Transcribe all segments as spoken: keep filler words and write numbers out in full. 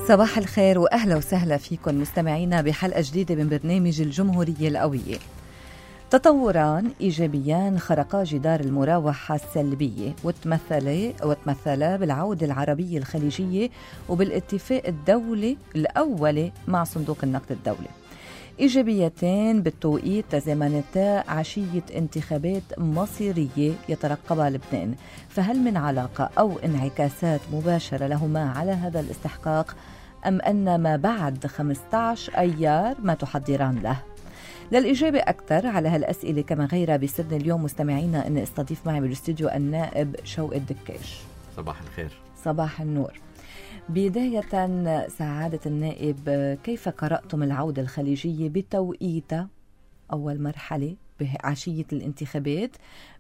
صباح الخير وأهلا وسهلا فيكم مستمعينا بحلقة جديدة من برنامج الجمهورية القوية. تطوران إيجابيان خرقا جدار المراوحة السلبية وتمثل وتمثل بالعودة العربية الخليجية وبالاتفاق الدولي الأول مع صندوق النقد الدولي. إيجابيتين بالتوقيت تزامنتا عشية انتخابات مصيرية يترقبها لبنان، فهل من علاقة أو انعكاسات مباشرة لهما على هذا الاستحقاق أم أن ما بعد خمسة عشر أيار ما تحضران له؟ للإجابة أكثر على هالأسئلة كما غيرها بيسعدني اليوم مستمعينا أن استضيف معي بالاستوديو النائب شوقي الدكاش. صباح الخير. صباح النور. بداية سعادة النائب، كيف قرأتم العودة الخليجية بتوقيتها أول مرحلة بعشية الانتخابات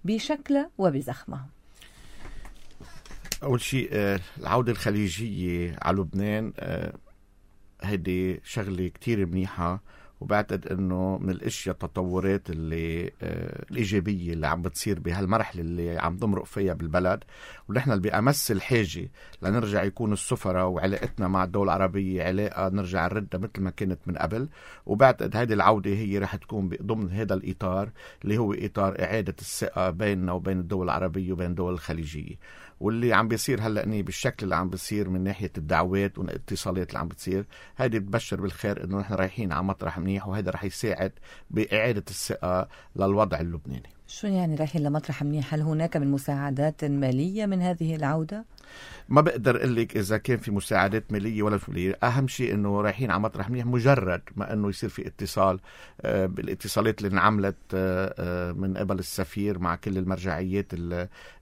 بشكلها وبزخمها؟ أول شيء العودة الخليجية على لبنان هيدي شغلة كتير منيحة، وبعتقد انه من الاشياء التطورات اللي آه الايجابيه اللي عم بتصير بهالمرحله اللي عم تمرق فيها بالبلد، ونحن اللي بأمس الحاجه لنرجع يكون السفراء وعلاقتنا مع الدول العربيه علاقه نرجع نردها مثل ما كانت من قبل. وبعتقد هذه العوده هي رح تكون ضمن هذا الاطار اللي هو اطار اعاده الثقه بيننا وبين الدول العربيه وبين الدول الخليجيه. واللي عم بيصير هلأ بالشكل اللي عم بيصير من ناحية الدعوات والاتصالات اللي عم بتصير، هيدي بتبشر بالخير انه نحن رايحين على مطرح منيح، وهذا رح يساعد بإعادة الثقة للوضع اللبناني. شو يعني رايحين لمطرح منيح؟ هل هناك من مساعدات مالية من هذه العودة؟ ما بقدر اقول لك اذا كان في مساعدات ماليه ولا ماليه، اهم شيء انه رايحين على مطرح منيح، مجرد ما انه يصير في اتصال آه بالاتصالات اللي انعملت آه من قبل السفير مع كل المرجعيات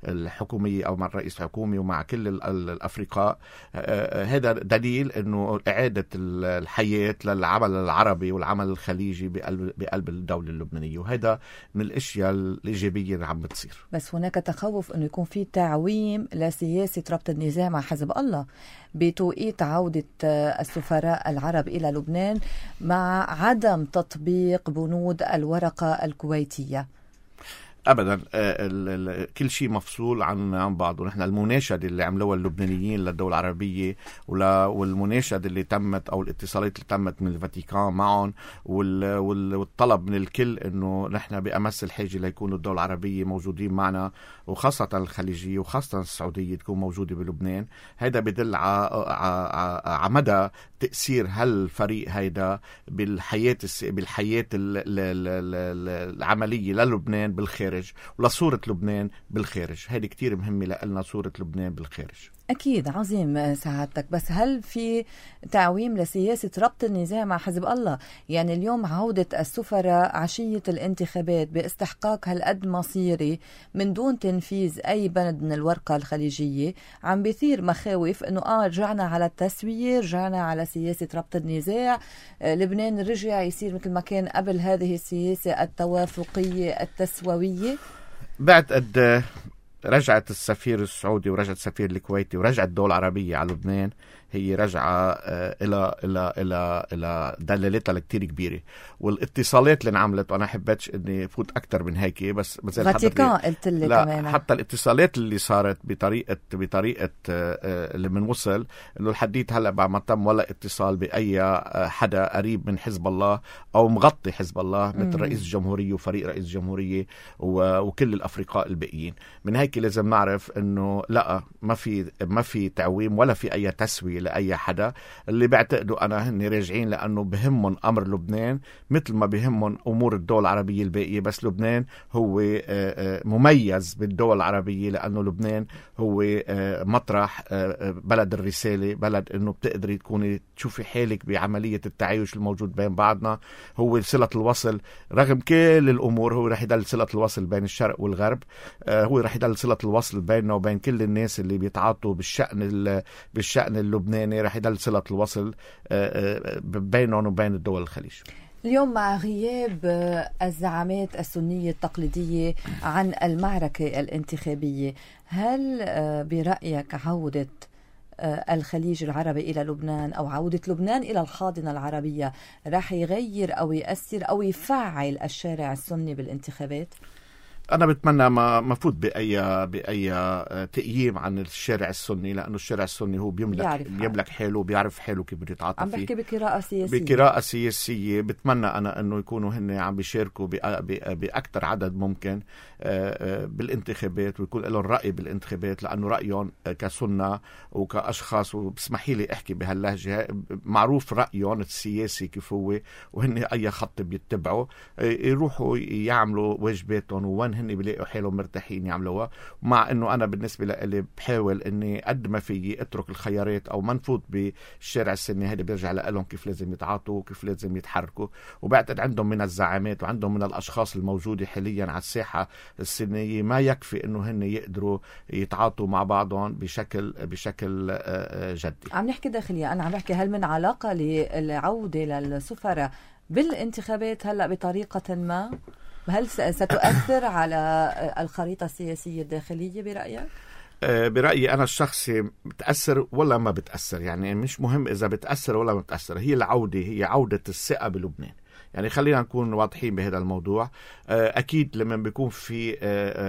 الحكوميه او مع الرئيس الحكومي ومع كل الافرقاء، آه هذا دليل انه اعاده الحياه للعمل العربي والعمل الخليجي بقلب بقلب الدوله اللبنانيه، وهذا من الاشياء الايجابيه اللي عم بتصير. بس هناك تخوف انه يكون في تعويم لسياسه ربط النزاع مع حزب الله بتوقيت عودة السفراء العرب إلى لبنان مع عدم تطبيق بنود الورقة الكويتية. ابدا، كل شيء مفصول عن عن بعضه. نحن المناشده اللي عملوها اللبنانيين للدول العربيه والمناشده اللي تمت او الاتصالات اللي تمت من الفاتيكان معهم والطلب من الكل انه نحن بامس الحاجه ليكونوا الدول العربيه موجودين معنا، وخاصه الخليجيه وخاصه السعوديه تكون موجوده بلبنان. هذا بدل على مدى تاثير هالفريق هيدا بالحياه بالحياه العمليه للبنان بالخارج ولصورة لبنان بالخارج. هذه كتير مهمة لنا، صورة لبنان بالخارج. أكيد عظيم سعادتك، بس هل في تعويم لسياسة ربط النزاع مع حزب الله؟ يعني اليوم عودة السفراء عشية الانتخابات باستحقاق هالقد مصيري من دون تنفيذ أي بند من الورقة الخليجية عم بيثير مخاوف أنه آه رجعنا على التسوية، رجعنا على سياسة ربط النزاع، آه لبنان رجع يصير مثل ما كان قبل هذه السياسة التوافقية التسوية. بعد قد رجعت السفير السعودي ورجعت السفير الكويتي ورجعت الدول العربية على لبنان، هي رجعة إلى إلى إلى إلى دلالتها الكتير كبيرة، والاتصالات اللي انعملت، وأنا حبيتش إني فوت أكتر من هيك، بس فاتيكان قلت لي كمان حتى الاتصالات اللي صارت بطريقة بطريقة اللي بنوصل إنه الحديث هلا بعد ما تم ولا اتصال بأي حدا قريب من حزب الله أو مغطي حزب الله مثل رئيس الجمهورية وفريق رئيس الجمهورية وكل الأفرقاء الباقيين. من هيك لازم نعرف إنه لا، ما في ما في تعويم ولا في أي تسوية لأي حدا. اللي بعتقدوا أنا هن راجعين لأنه بهمهم أمر لبنان مثل ما بهمهم أمور الدول العربية الباقية، بس لبنان هو مميز بالدول العربية لأنه لبنان هو مطرح بلد الرسالة، بلد أنه بتقدري تكوني تشوفي حالك بعملية التعايش الموجود بين بعضنا، هو صلة الوصل رغم كل الأمور، هو رح يدل صلة الوصل بين الشرق والغرب، هو رح يدل صلة الوصل بيننا وبين كل الناس اللي بيتعاطوا بالشأن بالشأن اللبناني، رح يدل صلة الوصل بينهم وبين الدول الخليج. اليوم مع غياب الزعامات السنية التقليدية عن المعركة الانتخابية، هل برأيك عودة الخليج العربي إلى لبنان أو عودة لبنان إلى الحاضنة العربية راح يغير أو يأثر أو يفعل الشارع السني بالانتخابات؟ أنا بتمنى ما مفوت بأي بأي تقييم عن الشارع السني، لأنه الشارع السني هو بيملك بيملك حاله وبيعرف حاله كيف بده يتعاطى فيه. عم بحكي بقراءة سياسية. بقراءة سياسية بتمنى أنا إنه يكونوا هن عم بيشاركوا بأكثر عدد ممكن بالانتخابات، ويكون لهم رأي بالانتخابات، لأنه رأيهم كسنة وكأشخاص، وبسمحي لي أحكي بهاللهجة، معروف رأيهم السياسي كيف هو، وهن أي خط بيتبعوا يروحوا يعملوا واجباتهم وين هن بيلاقوا حالهم مرتاحين يعملوها. مع انه انا بالنسبه لي بحاول اني قد ما فيي اترك الخيارات او ما نفوت بالشارع السني، هذا بيرجع لهم كيف لازم يتعاطوا وكيف لازم يتحركوا. وبعتقد عندهم من الزعامات وعندهم من الاشخاص الموجوده حاليا على الساحه السنيه ما يكفي انه هن يقدروا يتعاطوا مع بعضهم بشكل بشكل جدي. عم نحكي داخليا، انا عم بحكي هل من علاقه للعوده للسفراء بالانتخابات هلا بطريقه ما؟ هل ستؤثر على الخريطة السياسية الداخلية برأيك؟ برأيي أنا الشخصي بتأثر ولا ما بتأثر، يعني مش مهم إذا بتأثر ولا ما بتأثر، هي العودة هي عودة الثقة بلبنان. يعني خلينا نكون واضحين بهذا الموضوع. أكيد لما بيكون في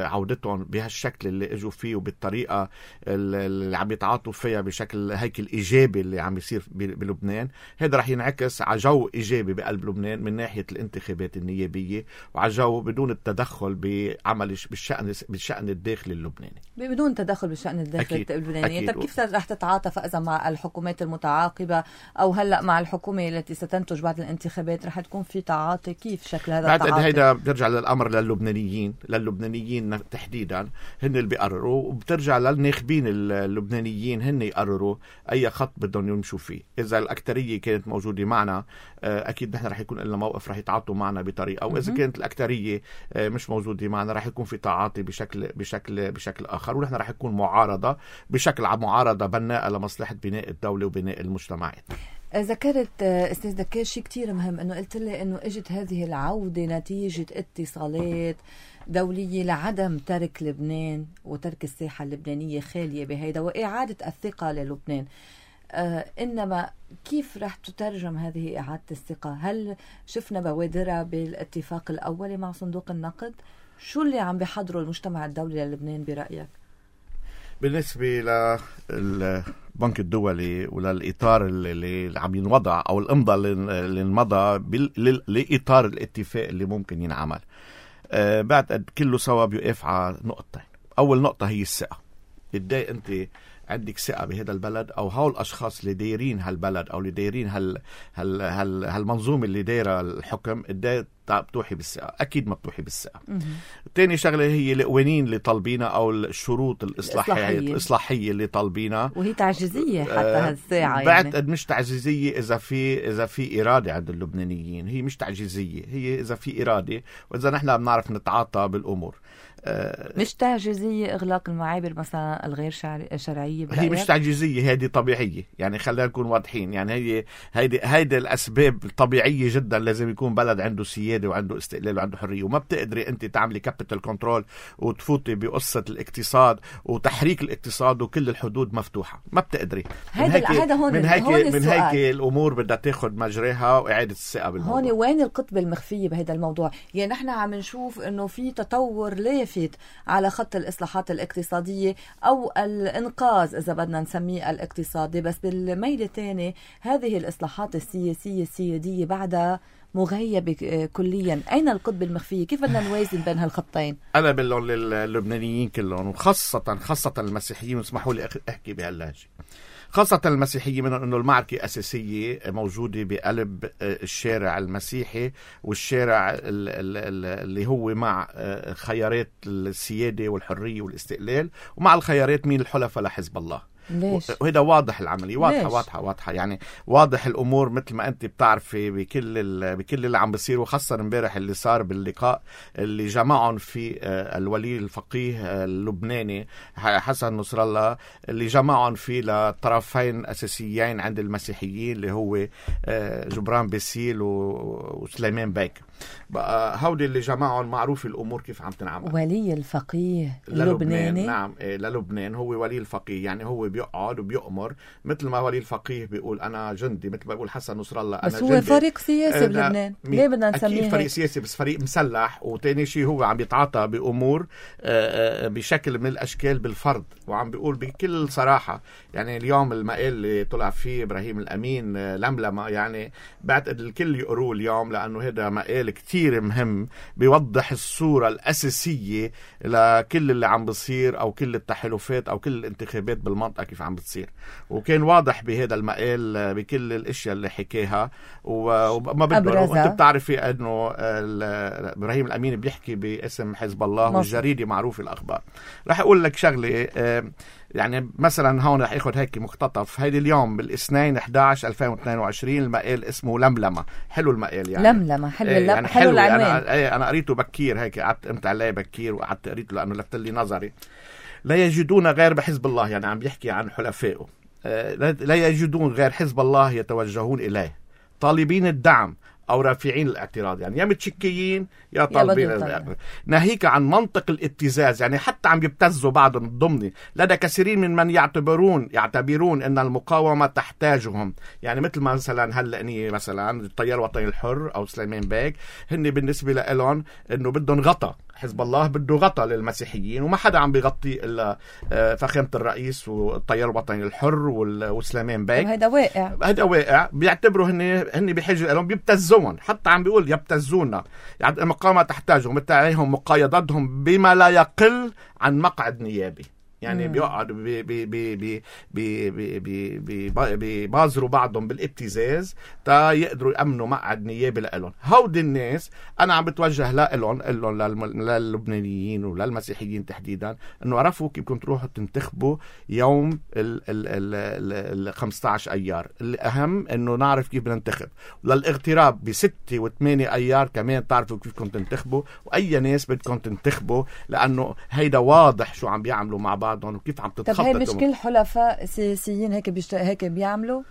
عودتهم بهالشكل اللي اجوا فيه وبالطريقة اللي عم يتعاطوا فيها بشكل هيك الإيجابي اللي عم يصير بلبنان، هذا رح ينعكس على جو إيجابي بقلب لبنان من ناحية الانتخابات النيابية، وعلى جو بدون التدخل بعمل بالشأن بالشأن الداخلي اللبناني، بدون تدخل بالشأن الداخلي اللبناني. طب كيف رح تتعاطى فإذا مع الحكومات المتعاقبة أو هلا مع الحكومة التي ستنتج بعد الانتخابات رح تكون في تعاطي؟ كيف شكل هذا التعاطي؟ هيدا بترجع للأمر للبنانيين للبنانيين تحديدا، هن اللي بيقرروا، وبترجع للناخبين اللبنانيين هن يقرروا أي خط بدهم يمشوا فيه. إذا الأكترية كانت موجودة معنا أكيد نحن رح يكون لنا موقف رح يتعاطوا معنا بطريقة، وإذا كانت الأكترية مش موجودة معنا رح يكون في تعاطي بشكل بشكل بشكل آخر، ونحن رح يكون معارضة بشكل معارضة بناءة لمصلحة بناء الدولة وبناء المجتمعات. ذكرت أستاذ دكار شيء كتير مهم، أنه قلت لي أنه اجت هذه العودة نتيجة اتصالات دولية لعدم ترك لبنان وترك الساحة اللبنانية خالية بهيدا وإعادة الثقة للبنان. آه إنما كيف رح تترجم هذه إعادة الثقة؟ هل شفنا بوادرها بالاتفاق الأولي مع صندوق النقد؟ شو اللي عم بيحضره المجتمع الدولي للبنان برأيك؟ بالنسبة للبنك الدولي وللإطار اللي عم ينوضع أو الإمضاء اللي انمضى لإطار الاتفاق اللي ممكن ينعمل، أه بعد كله سوا بيقف على نقطتين. أول نقطة هي الثقة. قديه أنت عندك ثقة بهذا البلد، أو هول الأشخاص اللي دايرين هالبلد أو اللي دايرين هال هال هال هالمنظومة اللي دايرة الحكم، قديه بتوحي بالثقة؟ أكيد ما بتوحي بالثقة. تاني شغلة هي القوانين اللي طالبينها أو الشروط الإصلاحية الإصلاحية اللي طالبينها، وهي تعجيزية حتى آه هالساعة. بعد يعني مش تعجيزية إذا في إذا في إرادة عند اللبنانيين، هي مش تعجيزية، هي إذا في إرادة وإذا نحن بنعرف نتعاطى بالأمور. مش تعجيزية إغلاق المعابر مثلا الغير شرعية برأيك؟ هي مش تعجيزية، هذه طبيعية. يعني خلينا نكون واضحين، يعني هي هيدي هيدي الأسباب طبيعية جدا. لازم يكون بلد عنده سيادة وعنده استقلال وعنده حرية، وما بتقدري أنت تعملي كابيتال كنترول وتفوتي بقصة الاقتصاد وتحريك الاقتصاد وكل الحدود مفتوحة. ما بتقدري. هذا هذا هون من هيك هون من هيك الأمور بدها تاخد مجراها وإعادة الثقة بالموضوع. هون وين القطب المخفية بهذا الموضوع؟ يعني نحن عم نشوف إنه في تطور لافت على خط الإصلاحات الاقتصادية أو الإنقاذ إذا بدنا نسميه الاقتصادي، بس بالميل الثاني هذه الإصلاحات السياسية السيادية بعدها مغيبة كليا. أين القطب المخفية؟ كيف بدنا نوازن بين هالخطين؟ أنا بقول للبنانيين كلهم وخاصة خاصة المسيحيين، واسمحوا لي أحكي بهاللهجة، خاصة المسيحية، من أنه المعركة أساسية موجودة بقلب الشارع المسيحي والشارع اللي هو مع خيارات السيادة والحرية والاستقلال، ومع الخيارات مين الحلفاء لحزب الله. ليش؟ وهذا واضح العملية، واضحة ليش؟ واضحة واضحة يعني واضح الأمور مثل ما أنت بتعرفي بكل بكل اللي عم بيصير. وخاصة امبارح اللي صار باللقاء اللي جمعهم في الولي الفقيه اللبناني حسن نصر الله، اللي جمعهم فيه لطرفين أساسيين عند المسيحيين اللي هو جبران باسيل وسليمان بيك. بقى هودي اللي جمعهم معروف الأمور كيف عم تنعمل. ولي الفقيه اللبناني، نعم للبنان هو ولي الفقيه، يعني هو بيقعد وبيؤمر، مثل ما ولي الفقيه بيقول أنا جندي، مثل ما بيقول حسن نصر الله أنا بس جندي. بس هو فريق سياسي بلبنان، ليه بدنا نسميه أكيد فريق سياسي بس فريق مسلح، وتاني شيء هو عم يتعاطى بأمور بشكل من الأشكال بالفرض. وعم بيقول بكل صراحة يعني اليوم المقال اللي طلع فيه إبراهيم الأمين لملمة، يعني بعتقد الكل يقروه اليوم، لأنه هذا مقال كتير مهم بيوضح الصورة الأساسية لكل اللي عم بصير أو كل التحالفات أو كل الانتخابات بالمنطقة كيف عم بتصير. وكان واضح بهذا المقال بكل الاشياء اللي حكاها وما بدنا. وانت بتعرفي انه ابراهيم الامين بيحكي باسم حزب الله مصر. والجريدة معروف الاخبار. رح اقول لك شغله، يعني مثلا هون رح اخذ هيك مقتطف. هيدي اليوم بالاثنين احد عشر ألفين واثنين وعشرين المقال اسمه لملمة. حلو المقال يعني لملمة حلو ايه يعني حلو, حلو العنوان. انا ايه انا قريته بكير هيك، قعدت قمت عليه بكير وقعدت قريته لانه لفت لي نظري. لا يجدون غير بحزب الله، يعني عم بيحكي عن حلفائه، لا يجدون غير حزب الله يتوجهون إليه طالبين الدعم أو رافعين الاعتراض، يعني يا متشكيين يا طالبين الاعتراض، ناهيك عن منطق الابتزاز. يعني حتى عم يبتزوا بعضهم الضمني لدى كثيرين من من يعتبرون يعتبرون أن المقاومة تحتاجهم. يعني مثل ما مثلا هلأني مثلا التيار الوطني الحر أو سليمان باك، هن بالنسبة لهم أنه بدهم غطى، حزب الله بده غطى للمسيحيين وما حدا عم بيغطي إلا فخامة الرئيس والتيار الوطني الحر وسليمان باك. هذا واقع هذا واقع بيعتبروا هن هن بحاجة لهم، بيبتزون، حتى عم بيقول يبتزونا، يعني المقاومة تحتاجهم، مثل عليهم مقايضتهم بما لا يقل عن مقعد نيابي. يعني بيقعدوا بي بي بي بي بي بي بي بيبازروا بعضهم بالابتزاز تا يقدروا يأمنوا مقعد نيابي لهم. هودي الناس أنا عم بتوجه لهم لهم للبنانيين وللمسيحيين تحديدا، إنه عرفوا كيف كنتوا تروحوا تنتخبوا يوم ال ال ال ال خمسة عشر أيار. الأهم إنه نعرف كيف بننتخب، وللاغتراب بستة وثمانية أيار كمان تعرفوا كيف كنتوا تنتخبوا وأي ناس بدكم تنتخبوا، لأنه هيدا واضح شو عم بيعملوا مع بعض وكيف عم تتخطط. طب هي مش كل حلفاء سياسيين هيك بيشت... هيك بيعملوا؟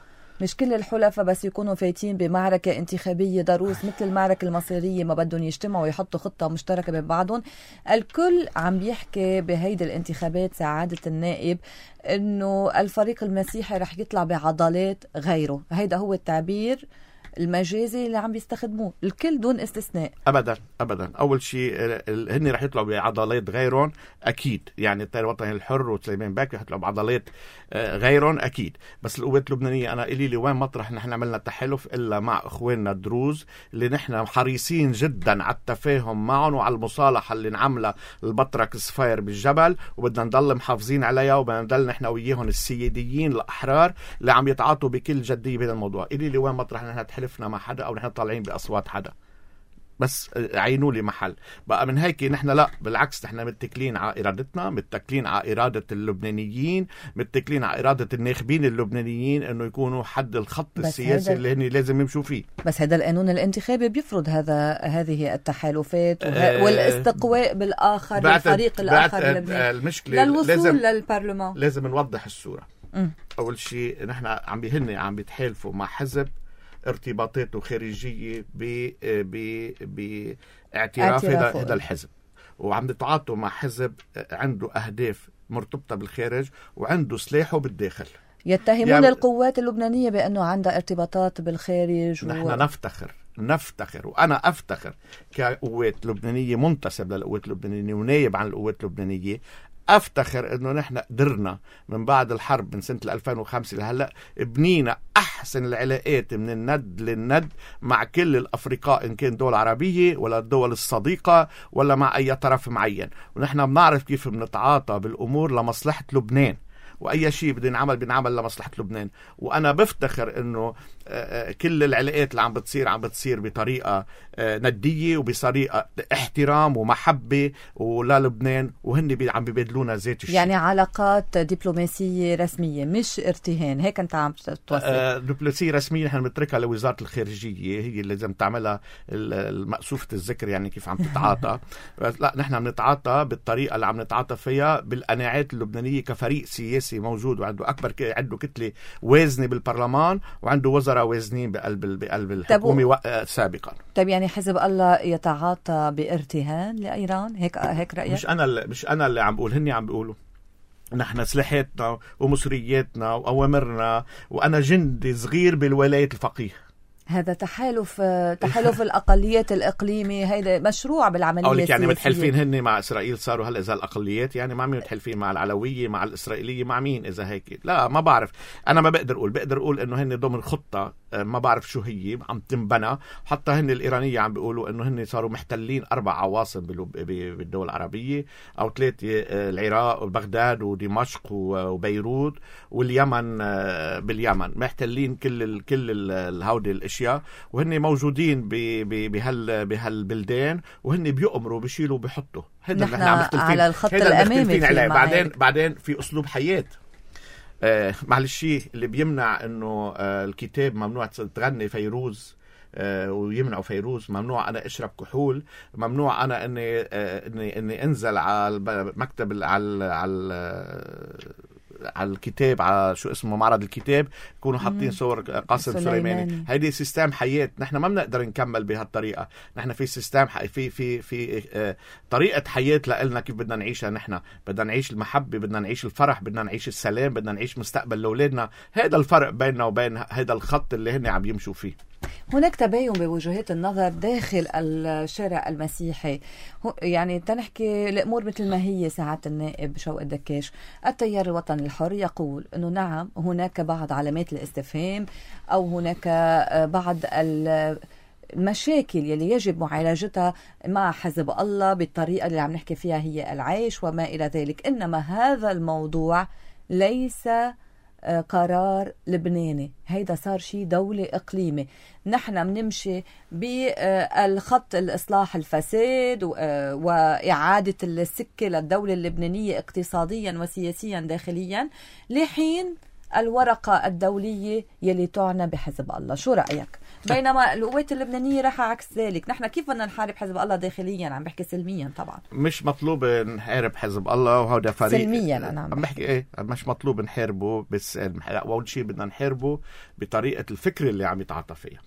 مش كل الحلفاء بس يكونوا فايتين بمعركة انتخابية ضروس مثل المعركة المصيرية ما بدهم يجتمعوا ويحطوا خطة مشتركة بين بعضهم؟ الكل عم بيحكي بهيدي الانتخابات سعادة النائب انه الفريق المسيحي رح يطلع بعضلات غيره، هيدا هو التعبير المجازي اللي عم بيستخدموه الكل دون استثناء. ابدا ابدا. اول شيء هن رح يطلعوا بعضلات غيرهم اكيد، يعني التيار الوطني الحر وسليمان باك رح يطلعوا بعضلات غيرهم اكيد. بس القوات اللبنانيه انا الي لي وين مطرح نحن عملنا تحالف الا مع اخواننا الدروز اللي نحن حريصين جدا على التفاهم معهم وعلى المصالحه اللي نعملها البطرك صفير بالجبل، وبدنا نضل محافظين عليها، وبدنا نضل نحن وياهم السياديين الاحرار اللي عم يتعاطوا بكل جديه بهذا الموضوع. الي لي وين مطرح نحن تحلفنا مع حدا او نحن طالعين باصوات حدا، بس عينوا لي محل بقى. من هيك نحن لا بالعكس، نحن متكلين على إرادتنا، متكلين على إرادة اللبنانيين، متكلين على إرادة الناخبين اللبنانيين انه يكونوا حد الخط السياسي اللي هن لازم يمشوا فيه. بس هذا القانون الانتخابي بيفرض هذا هذه التحالفات وه... والاستقواء بالاخر بالفريق الاخر المشكلة للوصول لازم للبرلمان. لازم نوضح الصورة. م. اول شيء نحن عم بهن عم بيتحالفوا مع حزب ارتباطاته خارجية باعتراف هذا هذا الحزب، وعم يتعاطوا مع حزب عنده أهداف مرتبطة بالخارج وعنده سلاحه بالداخل. يتهمون يعني القوات اللبنانية بأنه عندها ارتباطات بالخارج. نحن و... نفتخر نفتخر وأنا أفتخر كقوات لبنانية منتسب للقوات اللبنانية ونايب عن القوات اللبنانية، أفتخر إنه نحن قدرنا من بعد الحرب من سنة ألفين وخمسة لهلأ بنينا أحسن العلاقات من الند للند مع كل الأفرقاء، إن كان دول عربية ولا الدول الصديقة ولا مع أي طرف معين، ونحن بنعرف كيف بنتعاطى بالأمور لمصلحة لبنان، وأي شيء بدنا نعمل بنعمل لمصلحة لبنان. وأنا بفتخر إنه كل العلاقات اللي عم بتصير عم بتصير بطريقة ندية وبطريقة احترام ومحبة ولا لبنان، وهن عم بيبادلونا ذات الشيء. يعني علاقات دبلوماسية رسمية مش ارتهان، هيك أنت عم توصل؟ دبلوماسية رسمية نحن بنتركها لوزارة الخارجية، هي اللي لازم تعملها المقصوفة الذكر يعني كيف عم تتعاطى. لا نحن عم نتعاطى بالطريقة اللي عم نتعاطى فيها بالقناعات اللبنانية كفريق سياسي موجود وعنده أكبر ك... عنده كتلة وازنة بالبرلمان وعنده وزراء وازنين بقلب بقلب الحكومة و... سابقا. طيب يعني حزب الله يتعاطى بارتهان لإيران، هيك هيك رأيك؟ مش أنا اللي... مش أنا اللي عم بقول، هني عم بيقولوا نحن سلاحاتنا ومصرياتنا وأوامرنا، وأنا جندي صغير بالولاية الفقيه. هذا تحالف تحالف الأقليات الإقليمي، هيدا مشروع بالعملية السياسية. يعني السياسية. متحلفين هن مع إسرائيل صاروا هلأ إذا الأقليات، يعني مع مين متحلفين؟ مع العلوية، مع الإسرائيلية، مع مين إذا هيك؟ لا ما بعرف. أنا ما بقدر أقول، بقدر أقول إنه هن ضمن خطة ما بعرف شو هي عم تنبنى. حتى هن الإيرانية عم بيقولوا إنه هن صاروا محتلين أربع عواصم بالدول العربية أو ثلاثة، العراق وبغداد ودمشق وبيروت واليمن. باليمن محتلين كل ال كل الهودي الأشياء، وهن موجودين بهال بهالبلدان، وهن بيؤمروا بيشيلوا بيحطوا. هذا نحن على الخط الأمامي. بعدين بعدين في أسلوب حياة. آه معلش اللي بيمنع انه آه الكتاب ممنوع تغني فيروز، آه ويمنعوا فيروز، ممنوع انا اشرب كحول، ممنوع انا اني آه اني اني انزل على المكتب على على على الكتاب، على شو اسمه معرض الكتاب، يكونوا حاطين صور قاسم سليماني. هيدي سيستم حياة، نحن ما بنقدر نكمل بهالطريقة. نحن في سيستم في في في آه طريقة حياة لنا كيف بدنا نعيشها. نحن بدنا نعيش المحبة، بدنا نعيش الفرح، بدنا نعيش السلام، بدنا نعيش مستقبل لأولادنا. هذا الفرق بيننا وبين هذا الخط اللي هن عم يمشوا فيه. هناك تباين بوجهات النظر داخل الشارع المسيحي. يعني تنحكي الأمور مثل ما هي. ساعة النائب شوقي الدكاش التيار الوطني الحر يقول أنه نعم هناك بعض علامات الاستفهام أو هناك بعض المشاكل يلي يجب معالجتها مع حزب الله بالطريقة اللي عم نحكي فيها هي العيش وما إلى ذلك، إنما هذا الموضوع ليس قرار لبناني، هيدا صار شيء دولة إقليمي. نحن بنمشي بالخط الإصلاح الفساد وإعادة السكة للدولة اللبنانية اقتصاديا وسياسيا داخليا لحين الورقة الدولية يلي تعنى بحزب الله. شو رأيك؟ بينما القوات اللبنانية راح عكس ذلك. نحن كيف بدنا نحارب حزب الله داخليا؟ عم بحكي سلميا طبعا. مش مطلوب نحارب حزب الله، وهذا فريق سلميا. أنا عم بحكي ايه مش مطلوب نحاربه، بس أول شيء بدنا نحاربه بطريقة الفكر اللي عم يتعاطى فيها.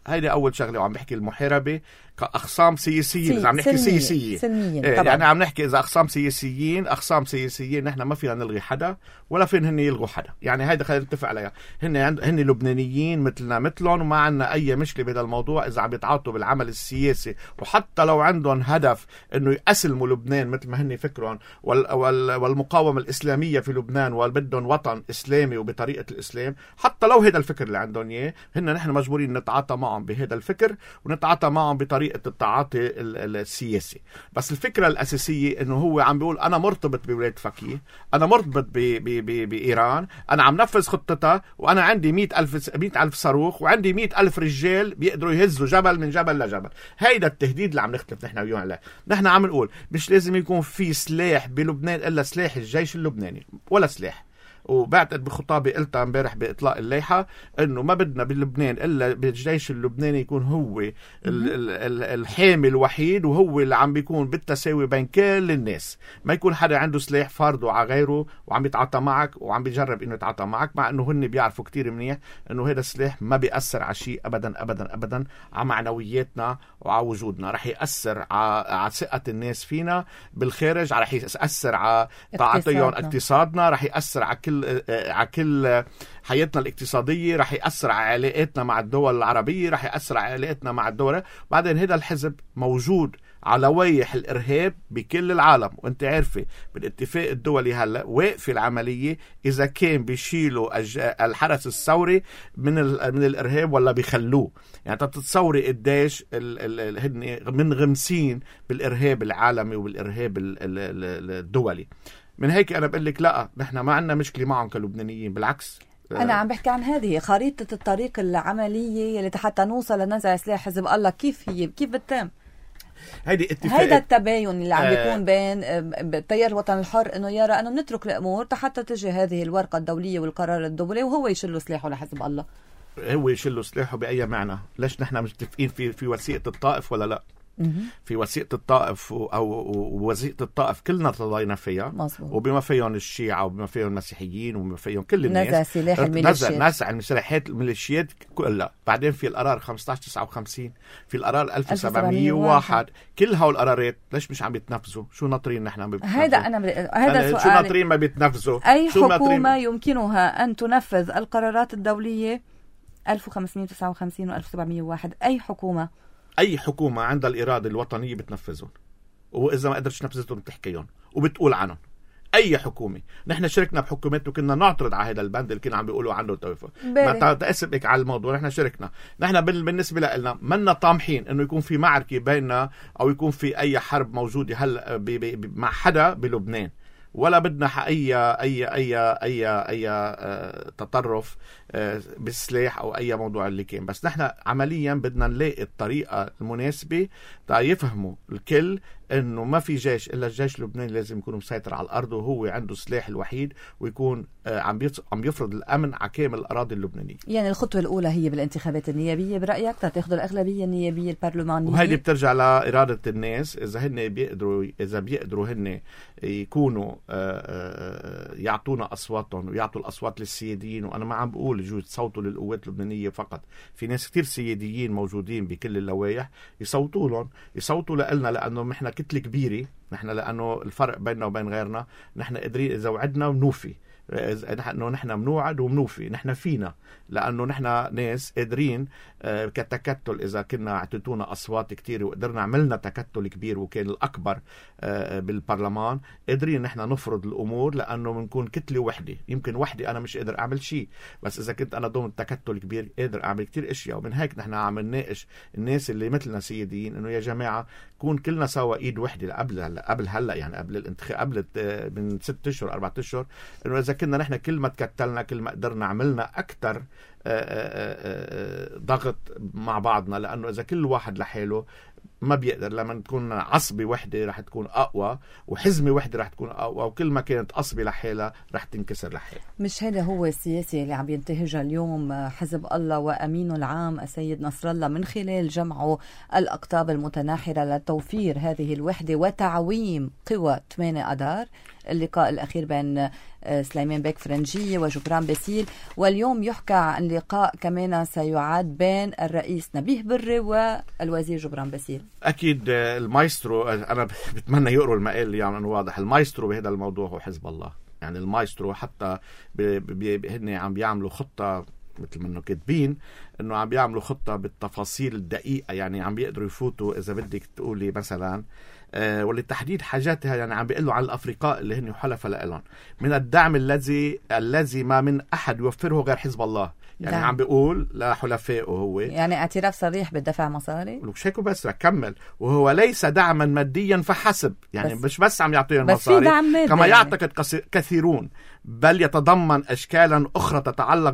هيدا أول شغلة. وعم بحكي المحاربة كأخصام سياسيين. إذا عم نحكي سياسية سلميين إيه يعني عم نحكي إذا أخصام سياسيين أخصام سياسيين نحن ما فينا نلغي حدا ولا فين هن يلغوا حدا. يعني هيدا خلينا نتفق عليها. هن عند هن لبنانيين مثلنا مثلهم، وما عنا أي مشكلة بهذا الموضوع إذا عم يتعاطوا بالعمل السياسي، وحتى لو عندهم هدف إنه يقسموا لبنان مثل ما هن فكرهم وال وال والمقاومة الإسلامية في لبنان وبدهم وطن إسلامي وبطريقة الإسلام. حتى لو هذا الفكر اللي عندهم إياه، هن نحن مجبورين نتعاطى معهم بهذا الفكر ونتعاطى معهم بطريقة التعاطي السياسي. بس الفكرة الأساسية إنه هو عم بيقول أنا مرتبط بولاية فقيه، أنا مرتبط بإيران، أنا عم نفذ خطتها، وأنا عندي مئة ألف مئة ألف صاروخ، وعندي مئة ألف رجال بيقدروا يهزوا جبل من جبل لجبل. هيدا التهديد اللي عم نختلف نحن وياه عليه. نحن عم نقول مش لازم يكون في سلاح بلبنان إلا سلاح الجيش اللبناني، ولا سلاح. وبعتقد بخطابي قلتها امبارح بإطلاق الليحة إنه ما بدنا بلبنان إلا بالجيش اللبناني يكون هو الحامي الوحيد، وهو اللي عم بيكون بالتساوي بين كل الناس. ما يكون حدا عنده سلاح فرضه على غيره وعم يتعاطى معك وعم بيجرب إنه يتعاطى معك، مع إنه هن بيعرفوا كتير منيح إنه هذا السلاح ما بيأثر على شيء أبدا أبدا أبدا على معنوياتنا وعلى وجودنا. رح يأثر على ثقة الناس فينا بالخارج، رح يأثر على تعاطيهم اقتصادنا، رح يأثر على كل على كل حياتنا الاقتصادية، رح يأثر على علاقاتنا مع الدول العربية، رح يأثر على علاقاتنا مع الدول. بعدين هذا الحزب موجود على لوائح الإرهاب بكل العالم، وانت عارفة بالاتفاق الدولي هلا واقف العملية إذا كان بيشيلوا الحرس الثوري من من الإرهاب ولا بيخلوه. يعني تتصوري قديش هن منغمسين بالإرهاب العالمي وبالإرهاب الدولي. من هيك أنا بقول لك لا، نحن ما عندنا مشكلة معهم كلبنانيين، بالعكس. أنا عم بحكي عن هذه خريطة الطريق العملية اللي حتى نوصل لنزع سلاح حزب الله. كيف هي كيف بتتم؟ هيدي اتفاق. هيدا التباين اللي عم بيكون آه بين التيار الوطني الحر انه يرى انه نترك الامور حتى تجي هذه الورقه الدوليه والقرار الدولي وهو يشيل سلاحه لحزب الله. هو يشيل سلاحه باي معنى؟ ليش نحن متفقين في في وثيقه الطائف ولا لا؟ في وثيقة الطائف أو وثيقة الطائف كلنا تضاينا فيها مزبوط. وبما فيهم الشيعة وبما فيهم المسيحيين وبما فيهم كل الناس نزع سلاح الميليشيات نزع المسلحات الميليشيات كلها. بعدين في القرار خمسة عشر تسعة وخمسين، في القرار ألف وسبعمية وواحد، كل هول القرارات ليش مش عم بيتنفذوا؟ شو ناطرين نحن؟ هذا أنا ب... هذا سؤال. شو ناطرين ما بيتنفذوا؟ أي حكومة يمكنها أن تنفذ القرارات الدولية ألف وخمسمية وتسعة وخمسين و ألف وسبعمية وواحد؟ أي حكومة أي حكومة عندها الإرادة الوطنية بتنفذهم، وإذا ما قدرتش تنفذهم بتحكيهم وبتقول عنهم. أي حكومة. نحن شاركنا بحكومات وكنا نعترض على هذا البند اللي كانوا عم بيقولوا عنه توفى. ما تأسفك على الموضوع. نحن شاركنا. نحن بالنسبة لنا منا طامحين إنه يكون في معركة بيننا أو يكون في أي حرب موجودة هلا مع حدا بلبنان، ولا بدنا أي أي أي أي أي أه تطرف أه بالسلاح أو أي موضوع اللي كان. بس نحن عمليا بدنا نلاقي الطريقة المناسبة تا يفهموا الكل إنه ما في جيش إلا الجيش اللبناني لازم يكون مسيطر على الأرض وهو عنده سلاح الوحيد ويكون أه عم عم يفرض الأمن على كامل الأراضي اللبنانية. يعني الخطوة الأولى هي بالانتخابات النيابية برأيك تاخذ الأغلبية النيابية البرلمانية، وهيدي بترجع لإرادة الناس. إذا هن بيقدروا إذا بيقدروا هن يكونوا يعطونا أصواتهم ويعطوا الأصوات للسياديين. وأنا ما عم بقول يجوز تصوتوا للقوات اللبنانية فقط، في ناس كتير سياديين موجودين بكل اللوائح يصوتوا لهم، يصوتوا لنا، لأنه نحن كتلة كبيرة. نحن لأنه الفرق بيننا وبين غيرنا نحن قادرين إذا وعدنا ونوفي، إنه نحن منوعد ومنوفي. نحن فينا لأنه نحن ناس قادرين كتكتل. إذا كنا اعطيتونا أصوات كتير وقدرنا عملنا تكتل كبير وكان الأكبر بالبرلمان، قادرين نحن نفرض الأمور لأنه بنكون كتلة وحدة. يمكن وحدة أنا مش قادر أعمل شيء، بس إذا كنت أنا ضمن تكتل كبير قادر أعمل كتير أشياء. ومن هيك نحن عم نناقش الناس اللي مثلنا سياديين إنه يا جماعة كون كلنا سوا إيد وحدة قبل هلا قبل هلا يعني قبل الانتخاب قبل من ست أشهر أربعة أشهر، إنه إذا كنا نحن كل ما تكتلنا كل ما قدرنا عملنا أكتر ضغط مع بعضنا. لأنه إذا كل واحد لحاله ما بيقدر. لما تكون عصبة وحدة رح تكون أقوى، وحزمة وحدة رح تكون أقوى، وكل ما كانت عصبة لحالها رح تنكسر لحالها. مش هذا هو السياسة اللي عم ينتهجها اليوم حزب الله وأمينه العام السيد نصر الله من خلال جمعه الأقطاب المتناحرة لتوفير هذه الوحدة وتعويم قوى ثمانية أدار؟ اللقاء الأخير بين سليمان بيك فرنجية وجبران باسيل، واليوم يحكى عن لقاء كمان سيعاد بين الرئيس نبيه بري والوزير جبران باسيل. أكيد المايسترو، أنا بتمنى يقروا المقال يعني أنه واضح. المايسترو بهذا الموضوع هو حزب الله. يعني المايسترو حتى هن عم بيعملوا خطة مثل ما انه كاتبين انه عم بيعملوا خطة بالتفاصيل الدقيقة. يعني عم بيقدروا يفوتوا اذا بدك تقولي مثلا أه ولتحديد حاجاتها. يعني عم بيقولوا على الافرقاء اللي هن حلفاء لهم من الدعم الذي الذي ما من احد يوفره غير حزب الله. يعني دعم. عم بيقول لحلفائه هو يعني اعتراف صريح بالدفع مصاري. مش هيك بس كمل، وهو ليس دعما ماديا فحسب. يعني بس مش بس عم يعطيهم مصاري كما يعني. يعتقد كثيرون، بل يتضمن أشكالا أخرى تتعلق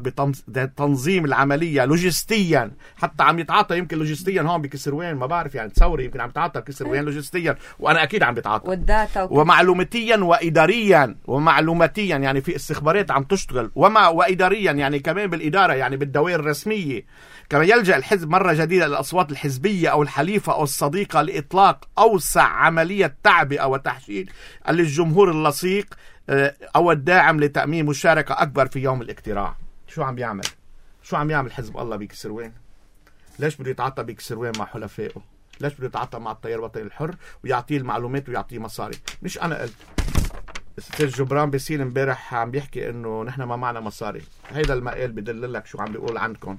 بتنظيم العملية لوجستيا. حتى عم يتعاطى يمكن لوجستيا هون بكسروين، ما بعرف يعني تصوري يمكن عم يتعاطى كسروين لوجستيا، وأنا أكيد عم بيتعاطى والداتا وكذا. ومعلوماتيا وإداريا ومعلوماتيا يعني في استخبارات عم تشتغل، وما وإداريا يعني كمان بالإدارة يعني بالدوائر الرسمية. كما يلجأ الحزب مرة جديدة للأصوات الحزبية أو الحليفة أو الصديقة لإطلاق أوسع عملية تعبئة وتحشيد للجمهور اللصيق أو الداعم لتأمين مشاركة أكبر في يوم الاقتراع. شو عم بيعمل؟ شو عم يعمل حزب الله بكسروين؟ ليش بده يتعاطى بكسروين مع حلفائه؟ ليش بده يتعاطى مع التيار الوطني الحر ويعطيه المعلومات ويعطيه مصاري؟ مش أنا قلت. السيد جبران باسيل امبارح عم بيحكي إنه نحن ما معنا مصاري. هيدا المقال بدل لك شو عم بيقول عندكم.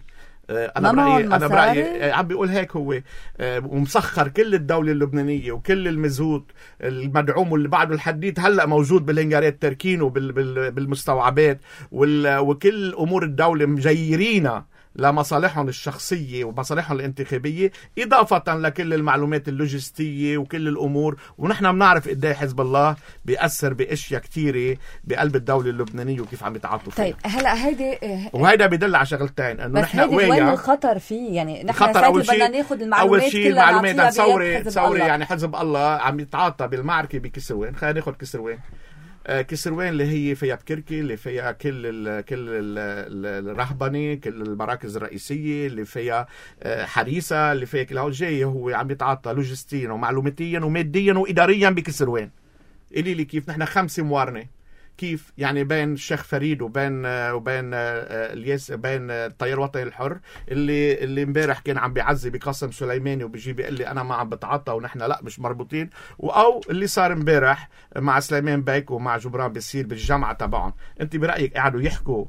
أنا برأيي أنا برأيي عم بيقول هيك هو ومسخر كل الدولة اللبنانية وكل المزود المدعوم واللي بعده الحديد هلأ موجود بالهنجارات تركينه بالمستوعبات وكل أمور الدولة مجيرينا لمصالحهم الشخصية ومصالحهم الانتخابية، إضافة لكل المعلومات اللوجستية وكل الأمور. ونحن بنعرف قديه حزب الله بيأثر بأشياء كتيرة بقلب الدولة اللبنانية وكيف عم يتعاطوا فيها. طيب هلا هيدي وهيدا بيدل على شغلتين انه نحن قوية. وين الخطر فيه؟ يعني نحن ساعتها بدنا ناخذ المعلومات أول شيء كلها نعطيها تصوري تصوري يعني حزب الله عم يتعاطى بالمعركة بكسروين. خلينا ناخذ كسروين. كسروان اللي هي فيها بكركي، اللي فيها كل ال كل ال الرهبنه، كل المراكز الرئيسيه، اللي فيها حريسه، اللي فيها كل هول جاي هو عم يتعاطى لوجستيا ومعلوماتيا وماديا واداريا بكسروان. قولي لي كيف نحن خمسه موارنه، كيف يعني بين الشيخ فريد وبين وبين الياس بين التيار الوطني الحر اللي اللي امبارح كان عم بيعزي بقاسم سليماني وبيجي بيقول لي انا ما عم بتعاطى ونحن لا مش مربوطين، او اللي صار امبارح مع سليمان بيك ومع جبران بيصير بالجامعه تبعهم. انت برايك قعدوا يحكوا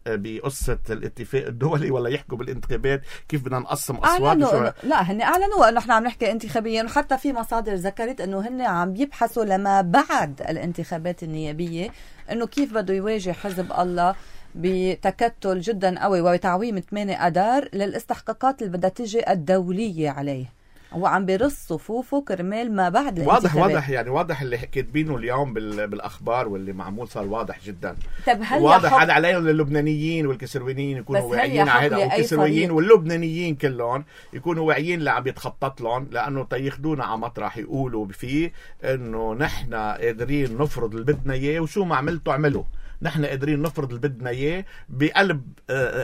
بقصة الاتفاق الدولي ولا يحكوا بالانتخابات كيف بدنا نقسم أصوات؟ أعلنوا لا هن أعلنوا أنه إحنا عم نحكي انتخابيا، وحتى في مصادر ذكرت أنه هن عم يبحثوا لما بعد الانتخابات النيابية أنه كيف بده يواجه حزب الله بتكتل جدا قوي وبتعويم ثمانية أدار للاستحقاقات اللي بدها تجي الدولية عليه. هو عم بيرص صفوفه كرمال ما بعد واضح واضح يعني واضح اللي كاتبينه اليوم بالاخبار واللي معمول صار واضح جدا. طب هل واضح هذا عليهم اللبنانيين والكسرويين يكونوا واعيين على هذا، والكسرويين واللبنانيين كلهم يكونوا واعيين اللي عم يتخطط لهم، لانه تياخذونا على مطرح يقولوا فيه انه نحن قادرين نفرض اللي بدنا اياه وشو ما عملتوا اعملوا. نحن قادرين نفرض اللي بدنا اياه بقلب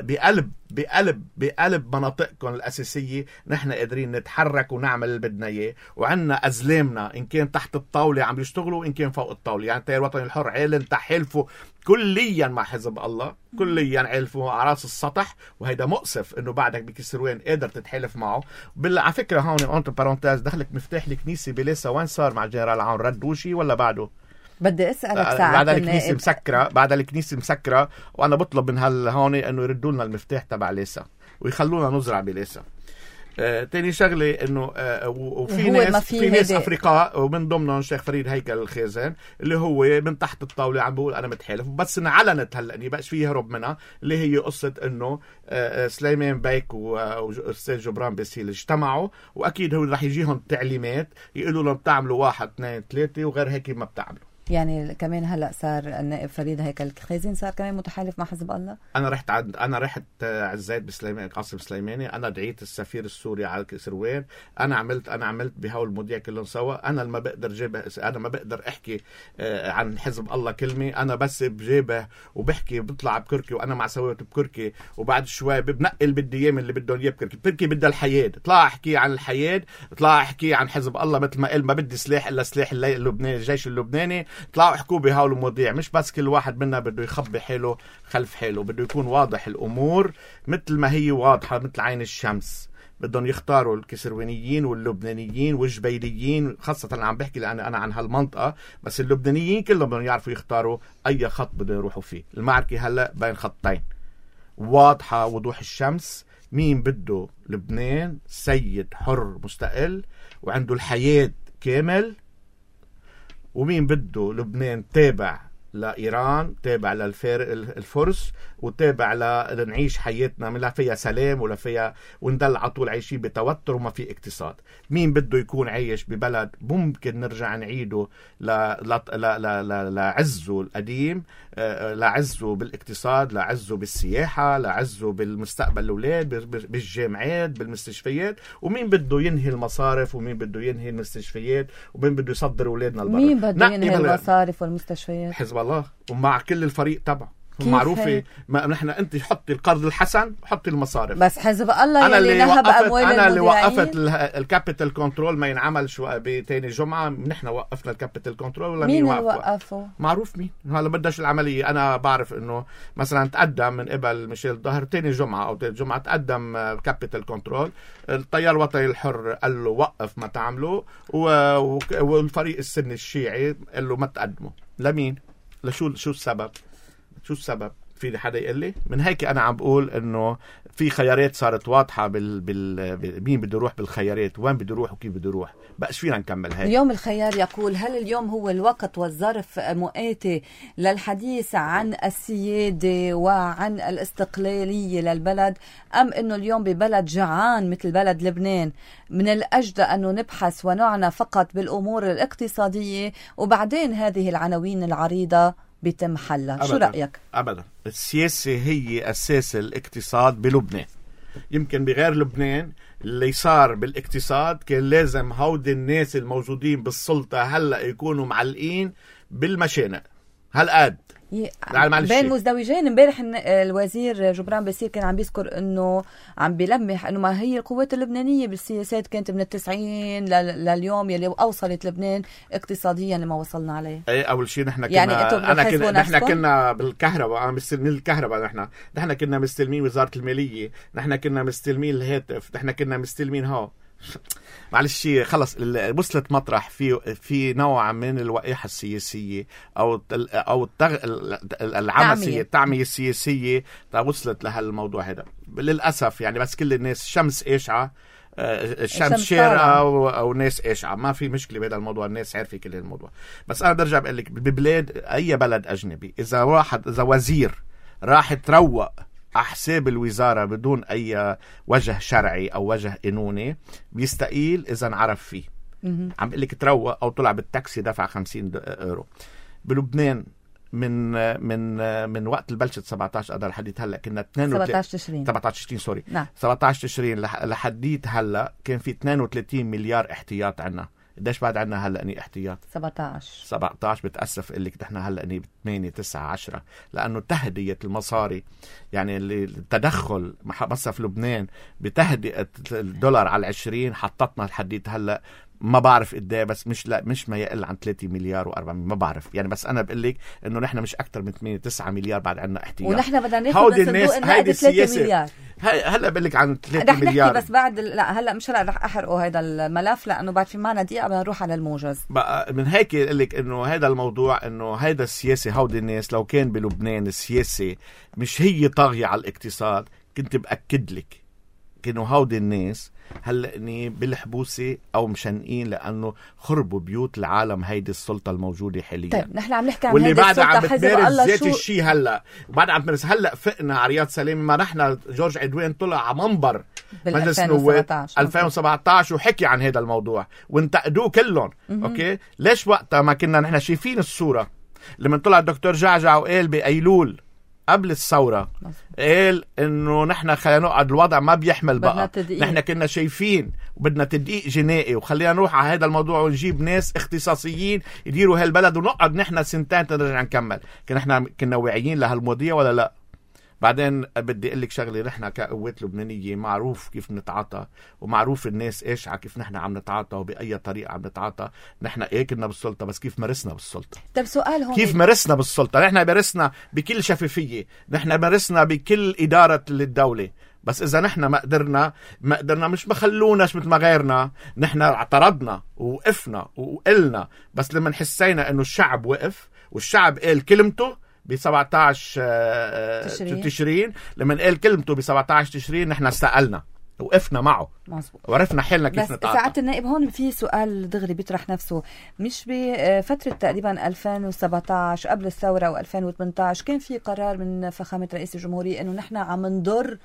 بقلب بقلب بقلب مناطقكم الاساسيه، نحن قادرين نتحرك ونعمل اللي بدنا اياه، وعندنا ازلامنا ان كان تحت الطاوله عم يشتغلوا وان كان فوق الطاوله. يعني التيار الوطني الحر اعلن تحالفه كليا مع حزب الله، كليا عالفوا على راس السطح، وهيدا مؤسف انه بعدك بكسروان قادر تتحالف معه. بال على فكره هون اونت بارونتاز دخلك مفتاح الكنيسه بلاسا، وين صار مع جنرال عون؟ ردوا شيء ولا بعده؟ بدي اسالك ساعه. بعد الكنيسه مسكره، بعد الكنيسه مسكره، وانا بطلب من هال هون انه يردوا لنا المفتاح تبع ليسا ويخلونا نزرع بليسا. آه، تاني شغله انه آه، وفي ناس في ناس افريقاء ومن ضمنهم الشيخ فريد هيكل الخازن اللي هو من تحت الطاوله عم بيقول انا متحالف، بس انعلنت هلا اني بقاش فيه هرب منها، اللي هي قصه انه آه سليمان بيك واستاذ جبران باسيل اجتمعوا، واكيد هو رح يجيهم تعليمات يقولوا لهم بتعملوا واحد اثنين ثلاثه وغير هيك ما بتعملوا. يعني كمان هلا صار النائب فريد هيكل الخازن صار كمان متحالف مع حزب الله. انا رحت عند انا رحت عزيت بسليمان قاسم سليماني، انا دعيت السفير السوري على كسروان، انا عملت انا عملت بهول المذيع كلهم سوا. انا ما بقدر جيبه، انا ما بقدر احكي عن حزب الله كلمه، انا بس بجيبه وبحكي بطلع بكركي وانا مع سويت بكركي، وبعد شوي بنقل بدي اياه من اللي بدهم اياه بكركي. بكركي بدها الحياه، اطلع احكي عن الحياه، اطلع احكي عن حزب الله مثل ما قال ما بدي سلاح الا سلاح اللبناني الجيش اللبناني. طلعوا احكوا بهول المواضيع، مش بس كل واحد منا بده يخبي حاله خلف حاله، بده يكون واضح الامور مثل ما هي واضحه مثل عين الشمس. بدهم يختاروا الكسروانيين واللبنانيين والجبيليين، خاصه انا عم بحكي لان انا عن هالمنطقه، بس اللبنانيين كلهم بدهم يعرفوا يختاروا اي خط بدهم يروحوا فيه. المعركه هلا بين خطين واضحه وضوح الشمس، مين بده لبنان سيد حر مستقل وعنده الحياه كامل، ومين بده لبنان تابع لإيران، تابع للفرس، وتابع لنعيش حياتنا من لا فيها سلام ولا فيها وندل على طول عايشين بتوتر وما في اقتصاد. مين بده يكون عايش ببلد ممكن نرجع نعيده لعزه القديم، لعزه بالاقتصاد، لعزه بالسياحة، لعزه بالمستقبل الأولاد، بالجامعات، بالمستشفيات. ومين بده ينهي المصارف، ومين بده ينهي المستشفيات، ومين بده يصدر أولادنا البرة. مين بده ينهي المصارف والمستشفيات؟ حزب الله ومع كل الفريق تبعه معروفة. ما نحن انت حطي القرض الحسن وحطي المصارف، بس حزب الله أنا اللي نهب اموال انا اللي وقفت الكابيتال كنترول ما ينعمل شو بتاني جمعة. نحن وقفنا الكابيتال كنترول ولا مين مين وقفه؟ معروف مين. هلا بدش العملية. انا بعرف انه مثلا تقدم من قبل ميشيل ظهر تاني جمعة او تاني جمعة تقدم الكابيتال كنترول، التيار الوطني الحر قال له وقف ما تعمله، والفريق السني الشيعي قال له ما تقدمه. لمين؟ لشو شو السبب؟ شو السبب؟ في حدا يقول لي؟ من هيك انا عم بقول انه في خيارات صارت واضحه بال, بال... مين بده يروح بالخيارات، وين بده يروح وكيف بده يروح. بقاش فينا نكمل هيك. اليوم الخيار يقول هل اليوم هو الوقت والظرف مؤاتي للحديث عن السياده وعن الاستقلاليه للبلد، ام انه اليوم ببلد جعان مثل بلد لبنان من الاجدى انه نبحث ونعنى فقط بالامور الاقتصاديه وبعدين هذه العناوين العريضه بيتم حلها؟ شو رأيك؟ أبدا. السياسة هي أساس الاقتصاد بلبنان. يمكن بغير لبنان اللي صار بالاقتصاد كان لازم هودي الناس الموجودين بالسلطة هلأ يكونوا معلقين بالمشانق. هالقد ي... بين مزدوجين. امبارح الوزير جبران باسيل كان عم بيذكر انه عم بيلمح انه ما هي القوات اللبنانيه بالسياسات كانت من التسعين ل... لليوم يلي اوصلت لبنان اقتصاديا لما وصلنا عليه. ايه اول شيء نحن كنا يعني انا كنا نحن كنا بالكهرباء مستلمين الكهرباء، نحن نحن كنا مستلمين وزاره الماليه، نحن كنا مستلمين الهاتف، نحن كنا مستلمين ها معلش خلص وصلت مطرح في في نوع من الوقاحه السياسيه او او التغ... العمسيه التعميه السياسيه وصلت لهالموضوع هذا للاسف. يعني بس كل الناس شمس اشعه الشمس شارقه او, أو ناس اشعه، ما في مشكله بهذا الموضوع، الناس عارفه كل الموضوع. بس انا برجع بقول لك ببلاد اي بلد اجنبي اذا واحد اذا وزير راح تروق على حساب الوزارة بدون أي وجه شرعي أو وجه قانوني بيستقيل إذا انعرف فيه. عم بقول لك تروق أو طلع بالتاكسي دفع خمسين يورو. بلبنان من من من وقت البلشة سبعة عشر أذار لحديت هلا كنا اثنين وثلاثين سبعة عشر تشرين سبعة عشر تشرين سوري نعم. سبعة عشر تشرين لحديت هلا كان في اثنين وثلاثين مليار احتياط عنا. قديش بعد عنا هلا اني احتياط؟ سبعة عشر سبعة عشر. بتأسف قلك نحن هلا اني ثمانية تسعة عشرة لانه تهدئة المصاري، يعني اللي التدخل بس في لبنان بتهدئة الدولار على العشرين حطتنا لحديت هلا ما بعرف قديه، بس مش لا مش ما يقل عن ثلاثة مليار وأربعمية ما بعرف يعني. بس انا بقول لك انه نحن مش اكثر من ثمانية تسعة مليار بعد عنا احتياط، ونحن بدنا ناخذ الصندوق نقد ثلاثة مليار. هلا بقول لك عن ثلاثة مليار بس بعد لا هلا مش هلا رح احرقه هذا الملف لانه بعد في معنا دقيقه بدنا نروح على الموجز. بقى من هيك اقول لك انه هذا الموضوع انه هذا السياسي هودي الناس لو كان بلبنان السياسي مش هي طاغيه على الاقتصاد كنت باكد لك كانوا هودي الناس هلا اني بالحبوسه او مشنقين لانه خربوا بيوت العالم هيدي السلطه الموجوده حاليا. طيب نحن عم نحكي عن واللي بعد عم بتمارس ذات الشيء هلا وبعد عم تمارس هلا فقنا على رياض سلامه ما نحن جورج عدوان طلع على منبر مجلس النواب ألفين وسبعة عشر وحكي عن هذا الموضوع وانتقدوه كلهم. اوكي ليش وقتها ما كنا نحن شايفين الصوره لما طلع الدكتور جعجع وقال بايلول قبل الثورة قال انه نحن خلينا نقعد الوضع ما بيحمل بقى، نحن كنا شايفين وبدنا تدقيق جنائي وخلينا نروح على هذا الموضوع ونجيب ناس اختصاصيين يديروا هالبلد ونقعد نحن سنتين تنرجع نكمل. كنا نحن كنا واعيين لهالمواضيع ولا لا؟ بعدين بدي اقول لك شغله، نحن كقوات لبنانيه معروف كيف نتعاطى ومعروف الناس ايش على كيف نحن عم نتعاطى وباي طريقه عم نتعاطى. نحن ايه كنا بالسلطه بس كيف مارسنا بالسلطه. طب سؤال هون كيف مارسنا بالسلطه؟ نحن مارسنا بكل شفافيه، نحن مارسنا بكل اداره للدوله، بس اذا نحن ما قدرنا ما قدرنا مش بخلوناش مثل ما غيرنا، نحن اعترضنا ووقفنا وقلنا، بس لما حسينا انه الشعب وقف والشعب قال كلمته ب سبعة عشر تشرين. تشرين لما قال كلمته ب سبعة عشر تشرين نحن استقلنا وقفنا معه مظبوط وعرفنا حالنا كيف نتعاطى. ساعات النائب هون في سؤال دغري بيطرح نفسه، مش بفترة تقريبا ألفين وسبعة عشر قبل الثورة و ألفين وثمانية عشر كان في قرار من فخامة رئيس الجمهورية انه نحن عم نضر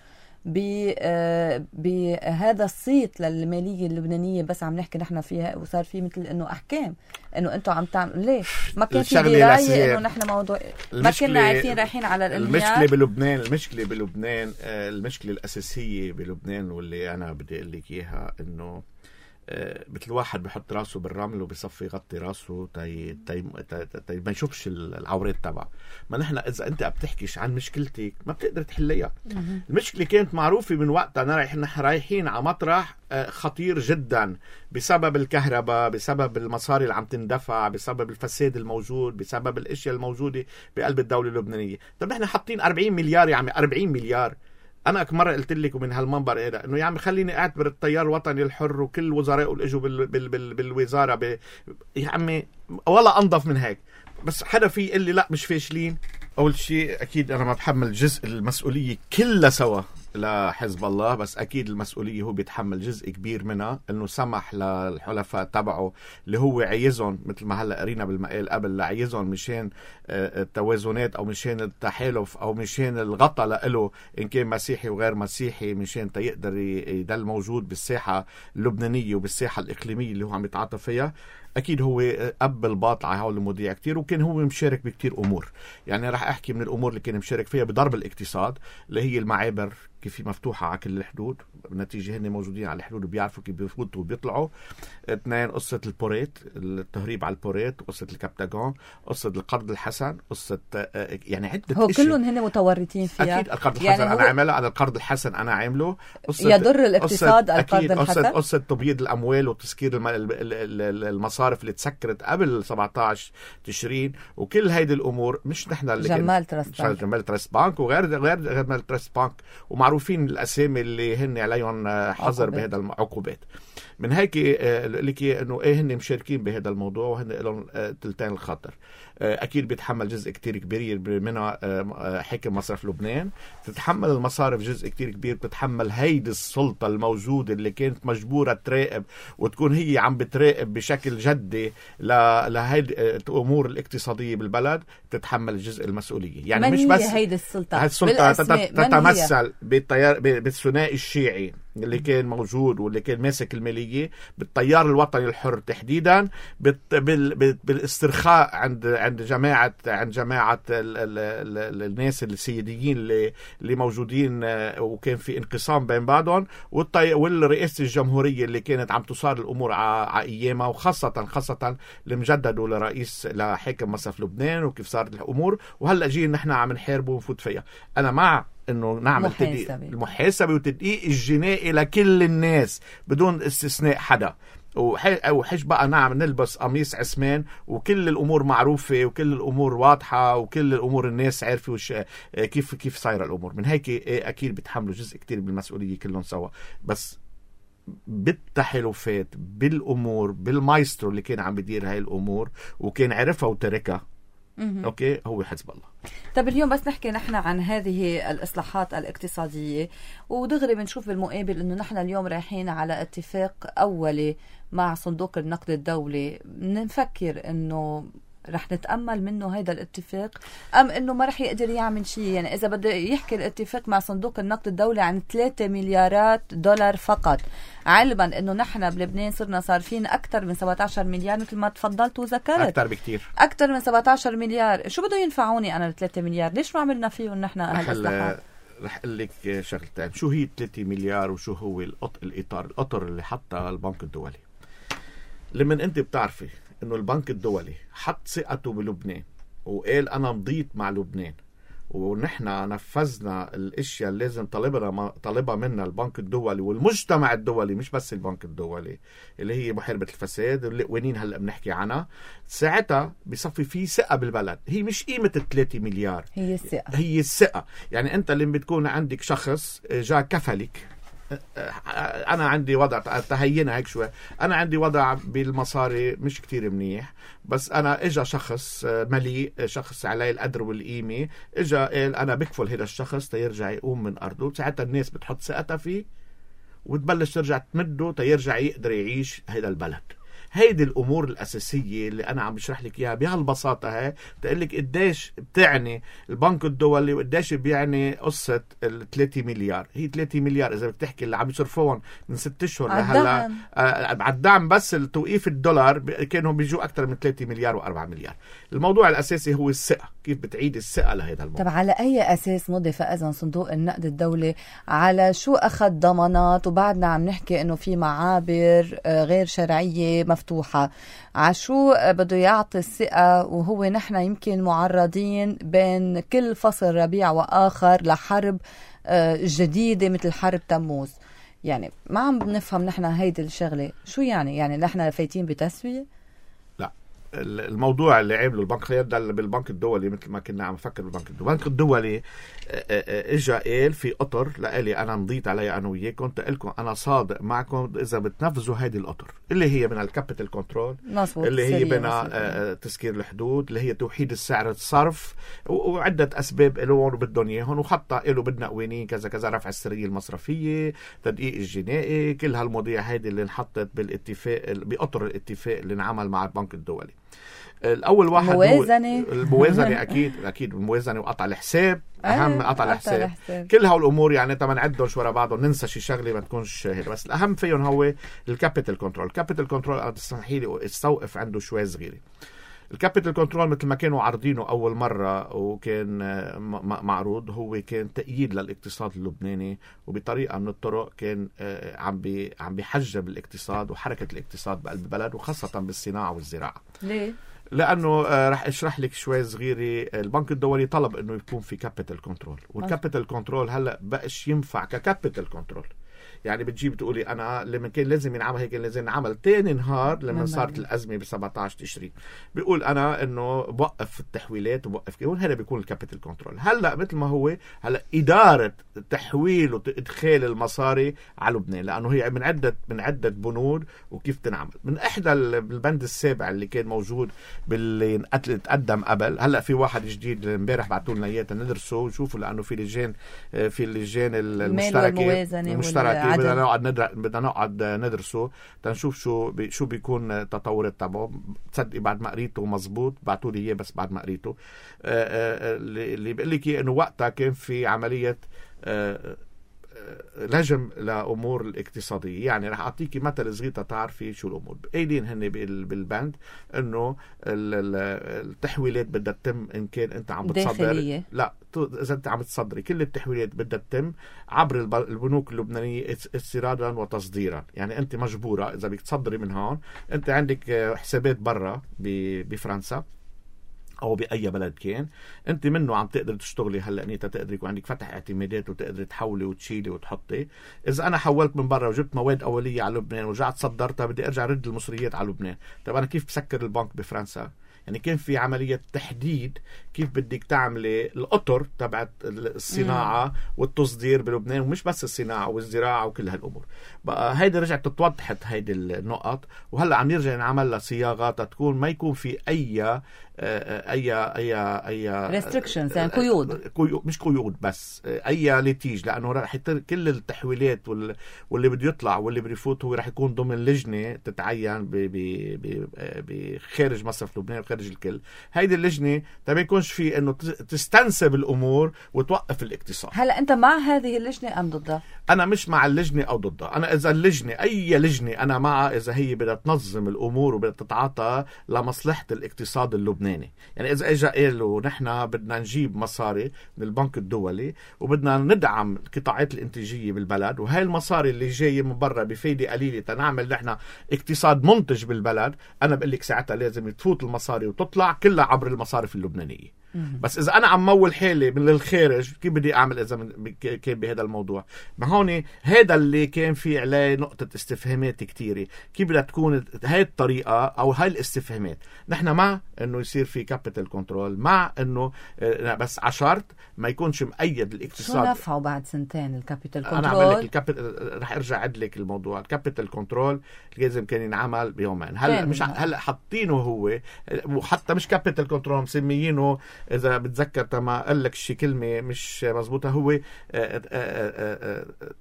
بهذا الصيت للمالية اللبنانية، بس عم نحكي نحن فيها وصار في مثل انه احكام انه انتم عم تعملوا ليه ما كان في دراية انه نحن موضوع ما كنا عارفين رايحين على الانهيار. المشكلة بلبنان المشكلة بلبنان المشكلة الأساسية بلبنان واللي أنا بدي أقول لك إياها إنه مثل واحد بحط راسه بالرمل وبيصفي يغطي راسه تي تي تي ما يشوفش العورات تبعه. ما نحن اذا انت بتحكيش عن مشكلتك ما بتقدر تحليها. المشكله كانت معروفه من وقتها، نحن رايحين على مطرح خطير جدا بسبب الكهرباء، بسبب المصاري اللي عم تندفع، بسبب الفساد الموجود، بسبب الاشياء الموجوده بقلب الدوله اللبنانيه. طب نحن حاطين أربعين مليار، يا عمي أربعين مليار. انا مرة قلت لكم من هالمنبر هذا انه يا عمي خليني اعتبر التيار الوطني الحر وكل وزرائه اللي اجوا بال بال بال بالوزاره ب... يا عمي ولا انظف من هيك. بس حدا في يقول لي لا مش فاشلين. اول شيء اكيد انا ما بحمل جزء المسؤوليه كلها سوا لحزب الله، بس اكيد المسؤوليه هو بيتحمل جزء كبير منها، انه سمح للحلفاء تبعه اللي هو عايزهم مثل ما هلا قرينا بالمقال قبل لعايزهم مشان التوازنات او مشان التحالف او مشان الغطاء له ان كان مسيحي وغير مسيحي، مشان تيقدر يضل موجود بالساحه اللبنانيه وبالساحه الاقليميه اللي هو عم يتعاطى فيها. اكيد هو اب الباطل على هول المواضيع كتير، وكان هو مشارك بكتير امور. يعني راح احكي من الامور اللي كان مشارك فيها بضرب الاقتصاد، اللي هي المعابر كيف مفتوحة على كل الحدود، بالنتيجة هن موجودين على الحدود وبيعرفوا كيف بيفوتوا وبيطلعوا. اثنين، قصة البوريت، التهريب على البوريت، قصة الكبتاغون، قصة القرض الحسن، قصة يعني عدة هو كلهم هن متورطين فيها. أكيد القرض يعني الحسن أنا عامله، أنا القرض الحسن أنا عامله. يضر الاقتصاد القرض الحسن. قصة, قصة تبييض الأموال وتسكير المصارف اللي تسكرت قبل سبعة عشر تشرين، وكل هيدي الأمور مش نحن اللي جمال ترست بانك جمال ترست بانك وغير غير جمال ترست بانك، ومعروفين الأسامي اللي هن عليهم حظر بهذا العقوبات. من هيك لك انه ايه هن مشاركين بهذا الموضوع وهن لهم تلتين الخطر. اكيد بيتحمل جزء كتير كبير منها حاكم مصرف لبنان، بتتحمل المصارف جزء كتير كبير، بتتحمل هيدي السلطة الموجودة اللي كانت مجبورة تراقب وتكون هي عم بتراقب بشكل جدي لهيدي الامور الاقتصادية بالبلد، تتحمل جزء المسؤولية. يعني مش بس هيدي السلطة، هيدي السلطة تتمثل بالتيار بالثنائي الشيعي اللي كان موجود واللي كان ماسك المالية، بالتيار الوطني الحر تحديدا، بالاسترخاء عند عند جماعة عند جماعة ال ال ال الناس السياديين اللي اللي موجودين، وكان في انقسام بين بعضهم، والرئاسة الجمهورية اللي كانت عم تصار الأمور على أيامها، وخاصة خاصة المجدد لرئيس لحاكم مصرف لبنان وكيف صارت الأمور، وهلأ جينا نحن عم نحاربه ونفوت فيها. أنا مع انه نعمل تدقيق المحاسبه والتدقيق الجنائي لكل الناس بدون استثناء حدا، او حج بقى نعم نلبس قميص عثمان وكل الامور معروفه وكل الامور واضحه وكل الامور الناس عارفه وش كيف كيف صايره الامور. من هيك اكيد بيتحملوا جزء كتير بالمسؤوليه كلهم سوا، بس بالتحالفات بالامور بالمايسترو اللي كان عم بيدير هاي الامور وكان عرفها وتركها اوكي هو حزب الله. طب اليوم بس نحكي نحن عن هذه الإصلاحات الاقتصادية، ودغري بنشوف بالمقابل انه نحن اليوم رايحين على اتفاق اولي مع صندوق النقد الدولي. نفكر انه رح نتأمل منه هيدا الاتفاق أم إنه ما رح يقدر يعمل شيء؟ يعني إذا بده يحكي الاتفاق مع صندوق النقد الدولي عن ثلاثة مليارات دولار فقط، علما إنه نحن بلبنان صرنا صارفين أكثر من سبعة عشر مليار مثل ما تفضلت وذكرت، أكثر بكتير، أكثر من سبعة عشر مليار. شو بده ينفعوني أنا ثلاثة مليار؟ ليش ما عملنا فيهم نحن هالإصلاحات؟ رح أقول لك شغلتين، شو هي ثلاثة مليار وشو هو الإطار الأطر اللي حطها البنك الدولي. لمن أنت بتعرفي إنه البنك الدولي حط ثقته بلبنان وقال أنا مضيت مع لبنان، ونحن نفذنا الاشياء اللي لازم طلبنا طلبها منا البنك الدولي والمجتمع الدولي، مش بس البنك الدولي، اللي هي محاربة الفساد اللي وينين هلا بنحكي عنها، ساعتها بيصفي في ثقة بالبلد. هي مش قيمة الثلاثة مليار، هي الثقة، هي الثقة. يعني انت اللي بتكون عندك شخص جاء كفلك، أنا عندي وضع تهينا هيك شوي، أنا عندي وضع بالمصاري مش كتير منيح، بس أنا إجا شخص مليء، شخص عليه القدر والقيمة، إجا قال أنا بكفل هذا الشخص تيرجع يقوم من أرضه، ساعتها الناس بتحط ثقتها فيه وتبلش ترجع تمده تيرجع يقدر يعيش هذا البلد. هيدي الأمور الأساسية اللي أنا عم بشرح لك إياها بهالبساطة هاي، بتقول لك قديش بتعني البنك الدولي وقديش بيعني قصة الثلاثة مليار. هي ثلاثة مليار إذا بتحكي اللي عم يصرفوهم من ست أشهر لهلا على الدعم، بس التوقيف الدولار كانوا بيجوا أكثر من ثلاثة مليار وأربعة مليار. الموضوع الأساسي هو الثقة، كيف بتعيد الثقة لهذا الموضوع. طب على أي أساس مضي فإذا صندوق النقد الدولي؟ على شو أخذ ضمانات؟ وبعدنا عم نحكي إنه في معابر غير شرعية مفتوحة، عشو بده يعطي الثقة وهو نحن يمكن معرضين بين كل فصل ربيع وآخر لحرب جديدة مثل حرب تموز؟ يعني ما عم بنفهم نحن هيدي الشغلة شو يعني. يعني نحن فايتين بتسوية؟ لا، الموضوع اللي عمله البنك خلينا نبدا بالبنك الدولي مثل ما كنا عم نفكر بالبنك الدولي. البنك الدولي اجى قال في اطر لالي انا مضيت عليها انا وياكم، قلت لكم انا صادق معكم اذا بتنفذوا هذه الاطر اللي هي من الكابيتال كنترول، اللي هي من تسكير الحدود، اللي هي توحيد السعر الصرف، وعده اسباب له بدهم اياهم، وخطه له بدنا قوانين كذا كذا، رفع السريه المصرفيه، تدقيق الجنائي، كل هالمواضيع هذه اللي انحطت بالاتفاق باطر الاتفاق اللي انعمل مع البنك الدولي. الأول واحد الموازنة هو الموازنة أكيد أكيد الموازنة وقطع الحساب أهم. قطع الحساب الحساب. كل هالأمور يعني طبعا نعدهم شو ورا بعضهم ننسى شي شغلة ما تكونش هيك، بس الأهم فيهم هو الكابيتال كنترول. الكابيتال كنترول أنا تسمحي لي استوقف عنده شوي صغيرة. الكابيتال كنترول مثل ما كانوا عارضينه أول مرة وكان معروض هو كان تأييد للاقتصاد اللبناني، وبطريقة من الطرق كان عم بي عم بيحجب الاقتصاد وحركة الاقتصاد بقلب البلد وخاصة بالصناعة والزراعة. ليه؟ لأنه رح أشرح لك شوي صغيرة. البنك الدولي طلب إنه يكون في كابيتال كنترول، والكابيتال كنترول هلأ بقش ينفع ككابيتال كنترول. يعني بتجيب تقولي أنا لما كان لازم ينعمل هيك لازم ينعمل تاني نهار لما صارت الأزمة ب سبعة عشر تشرين بيقول أنا إنه بوقف التحويلات وبوقف كده، هذا بيكون الكابيتال كنترول. هلأ مثل ما هو هلأ إدارة تحويل وإدخال المصاري على لبنان، لأنه هي من عدة من عدة بنود وكيف تنعمل. من إحدى البند السابع اللي كان موجود باللي تقدم قبل، هلأ في واحد جديد امبارح بعتوا لنا إياه ندرسه ونشوفه، لأنه في لجان في اللجان المشتركة المشتركة بدنا نقعد ندر... بدنا نقعد ندرسه تنشوف شو بي... شو بيكون التطورات تبعه. تصدقي بعد ما قريته مزبوط بعتوا لي اياه بس بعد ما قريته اللي بيقول لك انه وقتها كان في عمليه آه لجم لأمور الاقتصادية. يعني رح أعطيكي مثل صغير تعرفي شو الأمور قايلين هن بالبند إنه التحويلات بدها تتم إن كان أنت عم بتصدر داخلية. لا إذا أنت عم تصدري كل التحويلات بدها تتم عبر البنوك اللبنانية استيرادا وتصديرا. يعني أنت مجبورة إذا بدك تصدري من هون أنت عندك حسابات برا بفرنسا أو بأي بلد كان أنت منه عم تقدر تشتغلي. هلأ نيتا تقدر يكون عندك فتح اعتمادات وتقدر تحولي وتشيلي وتحطي. إذا أنا حولت من برا وجبت مواد أولية على لبنان ورجعت صدرتها بدي أرجع رد المصريات على لبنان. طب أنا كيف بسكر البنك بفرنسا؟ يعني كان في عملية تحديد كيف بدك تعملي الأطر تبعت الصناعة مم. والتصدير بلبنان، ومش بس الصناعة والزراعة وكل هالأمور. بقى هيدا رجعت تتوضحت هيدي النقط، وهلأ عم يرجع نعمل لها صياغات تكون ما يكون في أي أي أي أي restrictions يعني قيود مش قيود بس أي ليتيج، لأنه رح كل التحويلات واللي بده يطلع واللي بده يفوت هو رح يكون ضمن لجنة تتعين بخارج مصرف لبنان وخارج الكل. هيدي اللجنة ما يكونش في إنه تستنسب الأمور وتوقف الاقتصاد. هلا أنت مع هذه اللجنة أم ضدها؟ أنا مش مع اللجنة أو ضدها. أنا إذا اللجنة أي لجنة أنا معها إذا هي بدها تنظم الأمور وبدها تتعاطى لمصلحة الاقتصاد اللبناني. يعني إذا إجا قالوا نحن بدنا نجيب مصاري من البنك الدولي وبدنا ندعم القطاعات الإنتاجية بالبلد، وهي المصاري اللي جاية من برا بفايدة قليلة تنعمل نحن اقتصاد منتج بالبلد، أنا بقول لك ساعتها لازم تفوت المصاري وتطلع كلها عبر المصارف اللبنانية. بس إذا أنا عم مول حالي من الخارج كيف بدي أعمل إذا كان بهذا الموضوع؟ ما هون هذا اللي كان في عليه نقطة استفهامات كتيرة. كيف بدها تكون هاي الطريقة أو هاي الاستفهامات؟ نحن مع إنه يصير في كابيتال كنترول، مع إنه بس عشرت ما يكونش مقيد الاقتصاد. شو نفعه بعد سنتين الكابيتال كنترول؟ أنا أعمل لك الكابيتال، رح أرجع أعد لك الموضوع. الكابيتال كنترول لازم كان ينعمل بيومين. هلا مش هلا حاطينه هو، وحتى مش كابيتال كنترول مسميينه إذا بتذكر تما قال لك شي كلمة مش مزبوطة، هو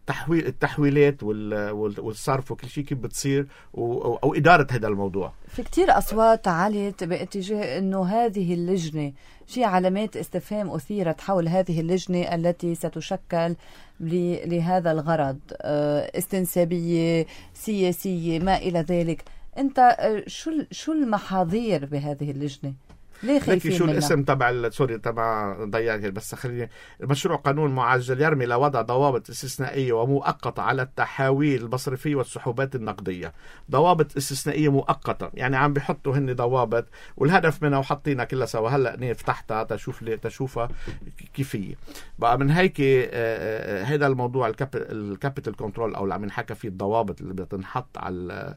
تحويل التحويلات والصرف وكل شيء كيف بتصير أو إدارة هذا الموضوع. في كتير أصوات علت باتجاه أنه هذه اللجنة في علامات استفهام أثيرت حول هذه اللجنة التي ستشكل لهذا الغرض، استنسابية سياسية ما إلى ذلك. أنت شو شو المحاذير بهذه اللجنة؟ ليه خايفين شو منها؟ الاسم تبع سوري تبع ضيعت بس خليني. مشروع قانون معجل يرمي لوضع ضوابط استثنائية ومؤقتة على التحاويل المصرفية والسحوبات النقدية. ضوابط استثنائية مؤقتة يعني عم بيحطوا هن ضوابط والهدف منها وحطينا كلها سوا. هلا فتحتها تشوف لي تشوفها كيفية بقى. من هيك هذا الموضوع الكابيتال كنترول او اللي عم نحكى فيه الضوابط اللي بتنحط على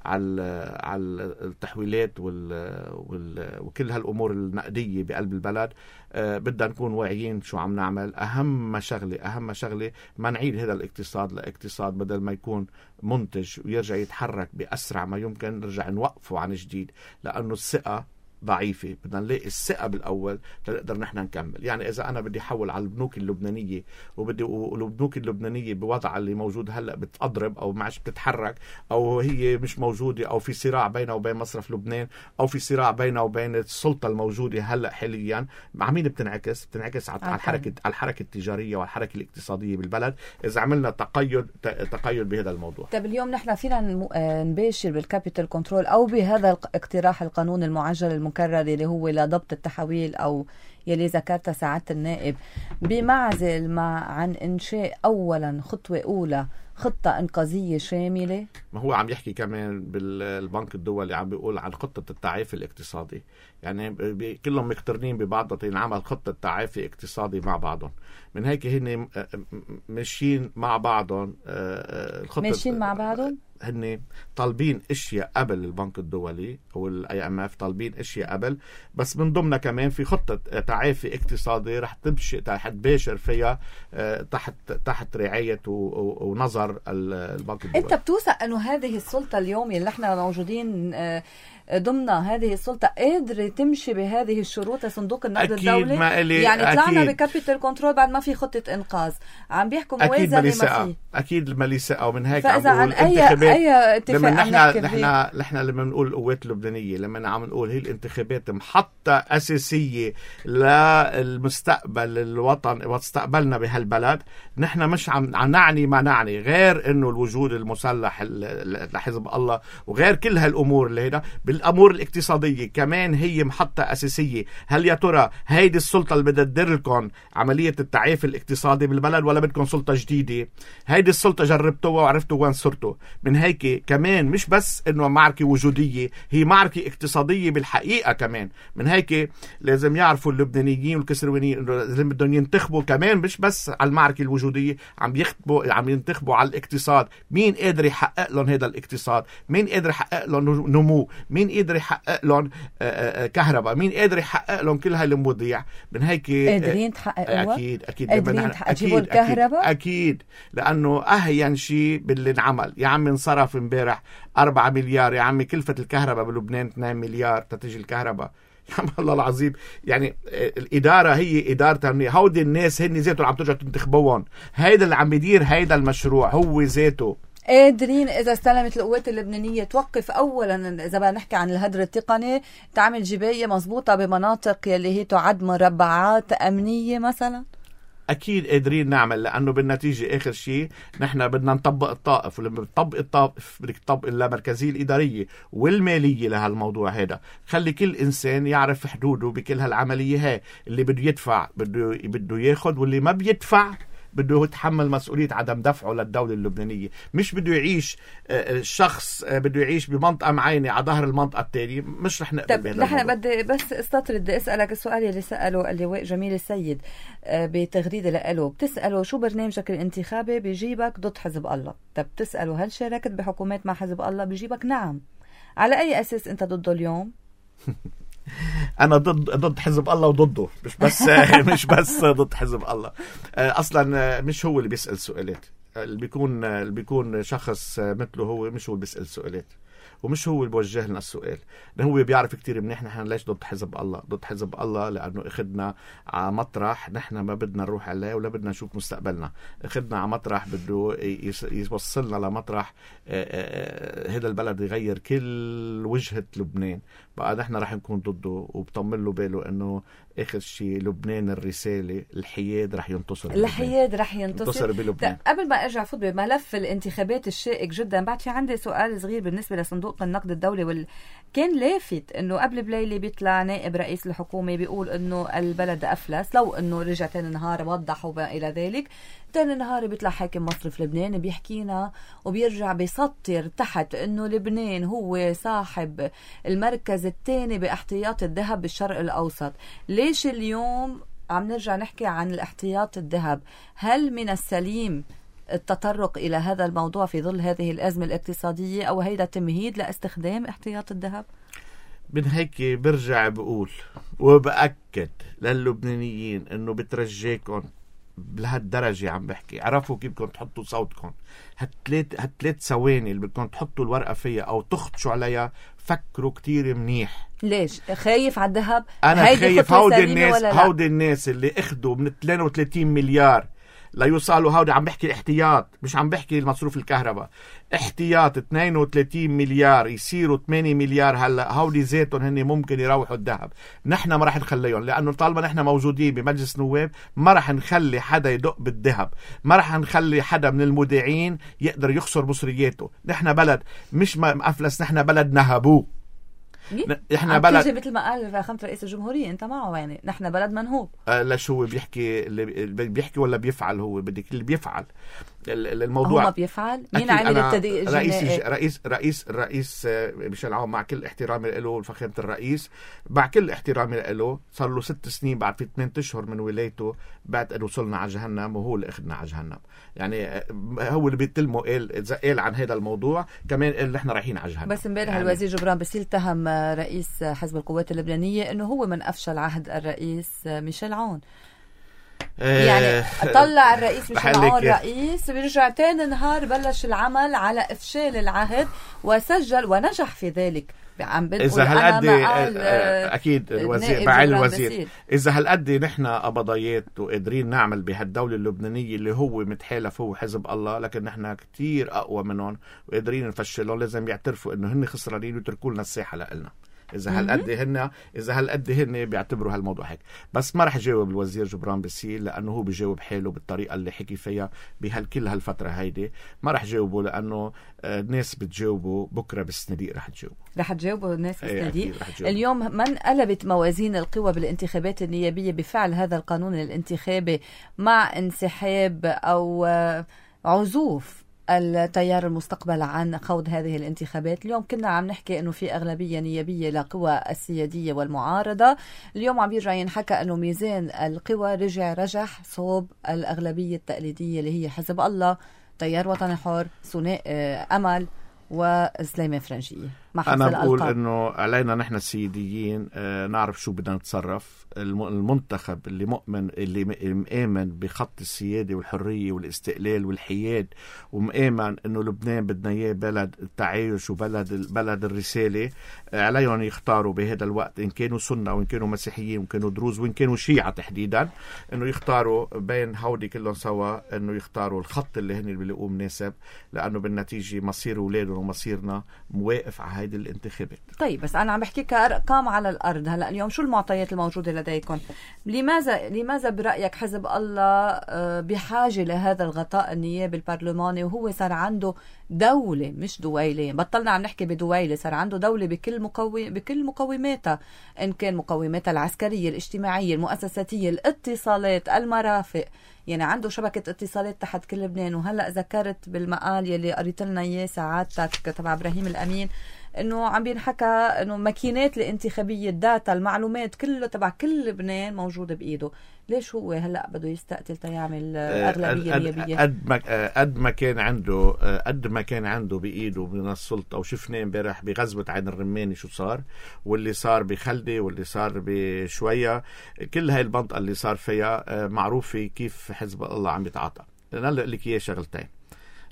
على على التحويلات وال... وال... وكل هالامور النقديه بقلب البلد. أه بدنا نكون واعيين شو عم نعمل. اهم شغله اهم شغله ما نعيد هذا الاقتصاد لاقتصاد بدل ما يكون منتج ويرجع يتحرك باسرع ما يمكن، نرجع نوقفه عن جديد، لانه الثقه ضعيفة، بدنا نلاقي الثقة بالأول لنقدر نحن نكمل. يعني إذا أنا بدي أحول على البنوك اللبنانية وبدي والبنوك اللبنانية بوضع اللي موجود هلأ بتضرب أو معش بتتحرك أو هي مش موجودة أو في صراع بينها وبين مصرف لبنان أو في صراع بينها وبين السلطة الموجودة هلأ حاليا، مع مين بتنعكس؟ بتنعكس على الحركة على الحركة التجارية والحركة الاقتصادية بالبلد إذا عملنا تقيد تقيد بهذا الموضوع. طيب اليوم نحن فينا نباشر بالكابيتال كنترول أو بهذا اقتراح القانون المعجل المكرر اللي هو لضبط التحويل أو يلي ذكرتها سعادة النائب، بمعزل مع عن إنشاء أولا خطوة أولى خطة إنقاذية شاملة؟ ما هو عم يحكي كمان بالبنك الدولي عم بيقول عن خطة التعافي الاقتصادي، يعني كلهم مقترنين ببعض ينعمل خطة تعافي اقتصادي مع بعضهم. من هيك هن ماشيين مع بعضهم، الخطة ماشيين مع بعضهم، هن طالبين اشياء قبل البنك الدولي او الاي ام اف، طالبين اشياء قبل، بس من ضمنها كمان في خطه تعافي اقتصادي رح تمشي رح تباشر فيها تحت تحت رعايه ونظر البنك الدولي. انت بتوثق انه هذه السلطه اليوم اللي احنا موجودين ضمن هذه السلطة قادرة تمشي بهذه الشروط لصندوق النقد الدولي؟ يعني طلعنا بكابيتال كنترول بعد ما في خطة إنقاذ، عم بيحكوا موازنة ما في. أكيد ما لي ثقة، ومن هيك عم بقول انتخابات. أي اتفاق لما نحن نحن نحن لما نقول القوات اللبنانية، لما عم نقول هي الانتخابات محطة أساسية للمستقبل الوطن ومستقبلنا بهالبلد، نحن مش عم نعني ما نعني غير إنه الوجود المسلح لحزب الله وغير كل هالأمور اللي هنا. بالأمور الاقتصادية كمان هي محطة أساسية. هل يا ترى هيدي السلطة اللي بدها تدير لكم عملية التعافي الاقتصادي بالبلد ولا بدكم سلطة جديدة؟ هيدي السلطة جربتوها وعرفتوا وين صرتوا. من هيك كمان مش بس إنه معركة وجودية، هي معركة اقتصادية بالحقيقة كمان. من هيك لازم يعرفوا اللبنانيين والكسروانيين إنه لازم بدهم ينتخبوا كمان مش بس على المعركة الوجودية، عم يخطبوا عم ينتخبوا على الاقتصاد. مين قادر يحقق لهم هذا الاقتصاد؟ مين قادر يحقق لهم نمو؟ مين قادر يحقق لهم كهرباء؟ مين قادر يحقق لهم كل هالمواضيع؟ من هيك قادرين تحققوا؟ اكيد اكيد قادرين تجيبوا الكهرباء؟ اكيد لانه اهين شيء باللي انعمل. يا عمي انصرف امبارح أربعة مليار، يا عمي كلفة الكهرباء بلبنان اثنين مليار تتجي الكهرباء. يا عم الله العظيم، يعني الإدارة هي إدارة أمنية. هودي الناس هن ذاته عم ترجع تنتخبوهم، هيدا اللي عم يدير هيدا المشروع هو ذاته. قادرين إذا استلمت القوات اللبنانية توقف أولا، إذا بدنا نحكي عن الهدر التقني، تعمل جباية مضبوطة بمناطق يلي هي تعد مربعات أمنية مثلا؟ أكيد قادرين نعمل، لأنه بالنتيجة آخر شيء نحن بدنا نطبق الطائف، ولما بتطبق الطائف بدك تطبق اللامركزية الإدارية والمالية لهالموضوع هذا. خلي كل إنسان يعرف حدوده بكل هالعملية هاي. اللي بده يدفع بده بده ياخد، واللي ما بيدفع بده يتحمل مسؤولية عدم دفعه للدولة اللبنانية. مش بده يعيش الشخص بده يعيش بمنطقة معينة على ظهر المنطقة التانية. مش رح نقبل بهذا الموضوع. نحن بدي بس استطرد بدي اسألك السؤال اللي سأله اللواء جميل السيد بتغريدة لقاله. بتسأله شو برنامجك الانتخابي؟ بيجيبك ضد حزب الله. طب بتسأله هل شاركت بحكومات مع حزب الله؟ بيجيبك نعم. على أي أساس أنت ضده اليوم؟ أنا ضد ضد حزب الله وضده، مش بس مش بس ضد حزب الله. أصلا مش هو اللي بيسأل سؤالات. اللي بيكون اللي بيكون شخص مثله هو مش هو اللي بيسأل سؤالات، ومش هو اللي بوجه لنا السؤال. هو بيعرف كتير منيح نحن ليش ضد حزب الله. ضد حزب الله لأنه اخدنا على مطرح نحن ما بدنا نروح عليه ولا بدنا نشوف مستقبلنا. اخدنا على مطرح بده يوصلنا لمطرح هذا البلد يغير كل وجهة لبنان. بقى نحن رح نكون ضده، وبطمن له باله انه اخر شيء لبنان الرسالة الحياد رح ينتصر. الحياد رح ينتصر, ينتصر بلبنان. قبل ما ارجع فوت بملف الانتخابات الشائك جدا، بعد في عندي سؤال صغير بالنسبة لصندوق النقد الدولي. وال... كان لافت انه قبل بليلة بيطلع نائب رئيس الحكومة بيقول انه البلد افلس، لو انه رجع تاني نهار وضح وما الى ذلك. تاني نهار بيطلع حاكم مصرف لبنان بيحكينا وبيرجع بيسطر تحت انه لبنان هو صاحب المركز الثاني باحتياط الذهب بالشرق الاوسط. ليش اليوم عم نرجع نحكي عن الاحتياط الذهب؟ هل من السليم التطرق إلى هذا الموضوع في ظل هذه الأزمة الاقتصادية، أو هيدا تمهيد لاستخدام احتياط الذهب؟ من هيك برجع بقول وبأكد للبنانيين أنه بترجيكم لهالدرجة عم بحكي عرفوا كيف بدكم تحطوا صوتكم. هالثلاث هالثلاث ثواني اللي بدكم تحطوا الورقة فيها أو تخدشوا عليها فكروا كتير منيح. ليش خايف على الذهب؟ أنا خايف هودي الناس هودي الناس اللي اخدوا من اثنين وثلاثين مليار لا يوصلوا. هودي عم بحكي الاحتياط، مش عم بحكي المصروف الكهرباء. احتياط اثنين وثلاثين مليار يصيروا ثمانية مليار. هلا هودي زيتهم هن ممكن يروحوا الذهب. نحن ما راح نخليهم، لانه طالما نحن موجودين بمجلس نواب ما راح نخلي حدا يدق بالذهب، ما راح نخلي حدا من المودعين يقدر يخسر مصرياته. نحن بلد مش مفلس، نحن بلد نهبوه. احنا بلد مثل ما قال فخامة رئيس الجمهورية انت معه، يعني نحن بلد منهوب. آه لا شو بيحكي اللي بيحكي ولا بيفعل؟ هو بدك اللي بيفعل الموضوع. هو ما بيفعل. مين عامل التدقيق رئيس رئيس رئيس الرئيس ميشيل عون، مع كل احترامي له فخامة الرئيس، مع كل احترامي له، صار له ست سنين بعد في ثمانية اشهر من ولايته بعد انه وصلنا على جهنم، وهو اللي اخذنا على جهنم. يعني هو اللي بيتلمه قال قال عن هذا الموضوع، كمان قال نحن رايحين على جهنم. بس امبارح يعني الوزير جبران باسيل اتهم رئيس حزب القوات اللبنانية انه هو من افشل عهد الرئيس ميشيل عون. يعني طلع الرئيس ميشيل عون رئيس، بيرجع تاني نهار بلش العمل على افشال العهد وسجل ونجح في ذلك. عم إذا هالقد أكيد الوزير بعين الوزير إذا هالقد نحن قبضيات وقادرين نعمل بهالدولة اللبنانية اللي هو متحالف هو حزب الله، لكن نحن كتير أقوى منهم وقادرين نفشلهم. لازم يعترفوا إنه هن خسرانين ويتركوا لنا الساحة لنا. إذا هالقد هن إذا هالقد هن بيعتبروا هالموضوع هيك. بس ما رح جاوب الوزير جبران باسيل لأنه هو بيجاوب حاله بالطريقة اللي حكي فيها بهالكل هالفترة هيدي. ما رح جاوبه لأنه الناس بتجاوبه بكرة بالصناديق. رح تجاوبه رح تجاوبه الناس بالصناديق. اليوم من انقلبت موازين القوى بالانتخابات النيابية بفعل هذا القانون الانتخابي مع انسحاب أو عزوف التيار المستقبل عن خوض هذه الانتخابات. اليوم كنا عم نحكي انه في اغلبيه نيابيه لقوى السياديه والمعارضه، اليوم عم بيرجع ينحكى انه ميزان القوى رجع رجح صوب الاغلبيه التقليديه اللي هي حزب الله، تيار وطني حر، ثنائي امل وسليمان فرنجية. أنا بقول إنه علينا نحن السياديين آه نعرف شو بدنا نتصرف. المنتخب اللي مؤمن اللي مآمن بخط السيادة والحرية والاستقلال والحياد، ومآمن إنه لبنان بدنا إياه بلد التعايش وبلد بلد الرسالة، آه عليهم يختاروا بهذا الوقت إن كانوا سنة وإن كانوا مسيحيين وإن كانوا دروز وإن كانوا شيعة تحديدا، إنه يختاروا بين هودي كلهم سوا، إنه يختاروا الخط اللي هن بيلاقوه مناسب، لأنه بالنتيجة مصير أولادهم ومصيرنا مواقف على هيدي الانتخابات. طيب بس أنا عم بحكي كأرقام على الأرض. هلأ اليوم شو المعطيات الموجودة لديكم؟ لماذا لماذا برأيك حزب الله بحاجة لهذا الغطاء النيابي البرلماني وهو صار عنده دولة مش دويلة؟ بطلنا عم نحكي بدويلة، صار عنده دولة بكل مقوم بكل مقوماتها، إن كان مقوماتها العسكرية، الاجتماعية، المؤسساتية، الاتصالات، المرافق، يعني عنده شبكة اتصالات تحت كل لبنان. وهلأ ذكرت بالمقال يلي قريت لنا إياه ساعاتك تبع إبراهيم الأمين إنه عم بينحكى إنه ماكينات الانتخابية، الداتا، المعلومات كله تبع كل لبنان موجودة بإيده. ليش هو هلأ بده يستقتل تيعمل أغلبية نيابية؟ قد ما قد ما كان عنده قد ما كان عنده بإيده من السلطة. وشفنا امبارح بغزوة عين الرماني شو صار، واللي صار بخلدي، واللي صار بشوية، كل هاي المنطقة اللي صار فيها معروفة كيف حزب الله عم يتعاطى. أنا أقول لك إياه شغلتين،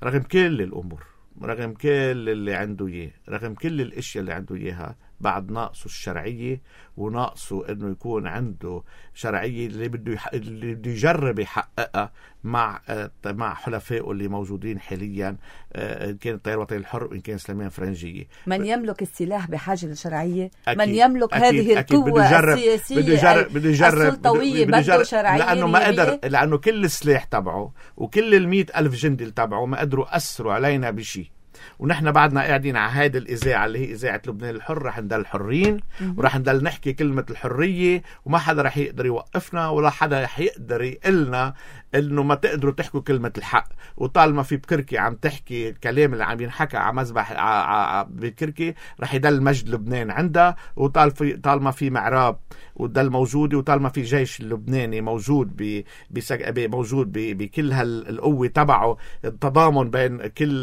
رغم كل الأمور، رغم كل اللي عنده إياه، رغم كل الاشياء اللي عنده إياها، بعد ناقصه الشرعية، وناقصه انه يكون عنده شرعية اللي بده يح... اللي بده يجرب يحققها مع مع حلفائه اللي موجودين حاليا، ان كان التيار الوطني الحر وان كان سليمان فرنجية. من يملك السلاح بحاجة للشرعية، أكيد. من يملك أكيد. هذه القوة السياسية بده يجرب بده يجرب السلطوية بده شرعية، لأنه ما قدر، لأنه كل السلاح تبعه وكل المئة ألف جندي تبعه ما قدروا أثروا علينا بشيء. ونحن بعدنا قاعدين على هذه الإذاعة اللي هي إذاعة لبنان الحر، رح نضل حرين ورح نضل نحكي كلمة الحرية، وما حدا رح يقدر يوقفنا ولا حدا رح يقدر يقلنا إنه ما تقدروا تحكوا كلمة الحق. وطالما في بكركي عم تحكي الكلام اللي عم ينحكى على مذبح بكركي، رح يضل مجد لبنان عندها. وطال في طالما في معراب وضل موجود، وطالما في جيش اللبناني موجود ب موجود بكل هالقوة تبعه، التضامن بين كل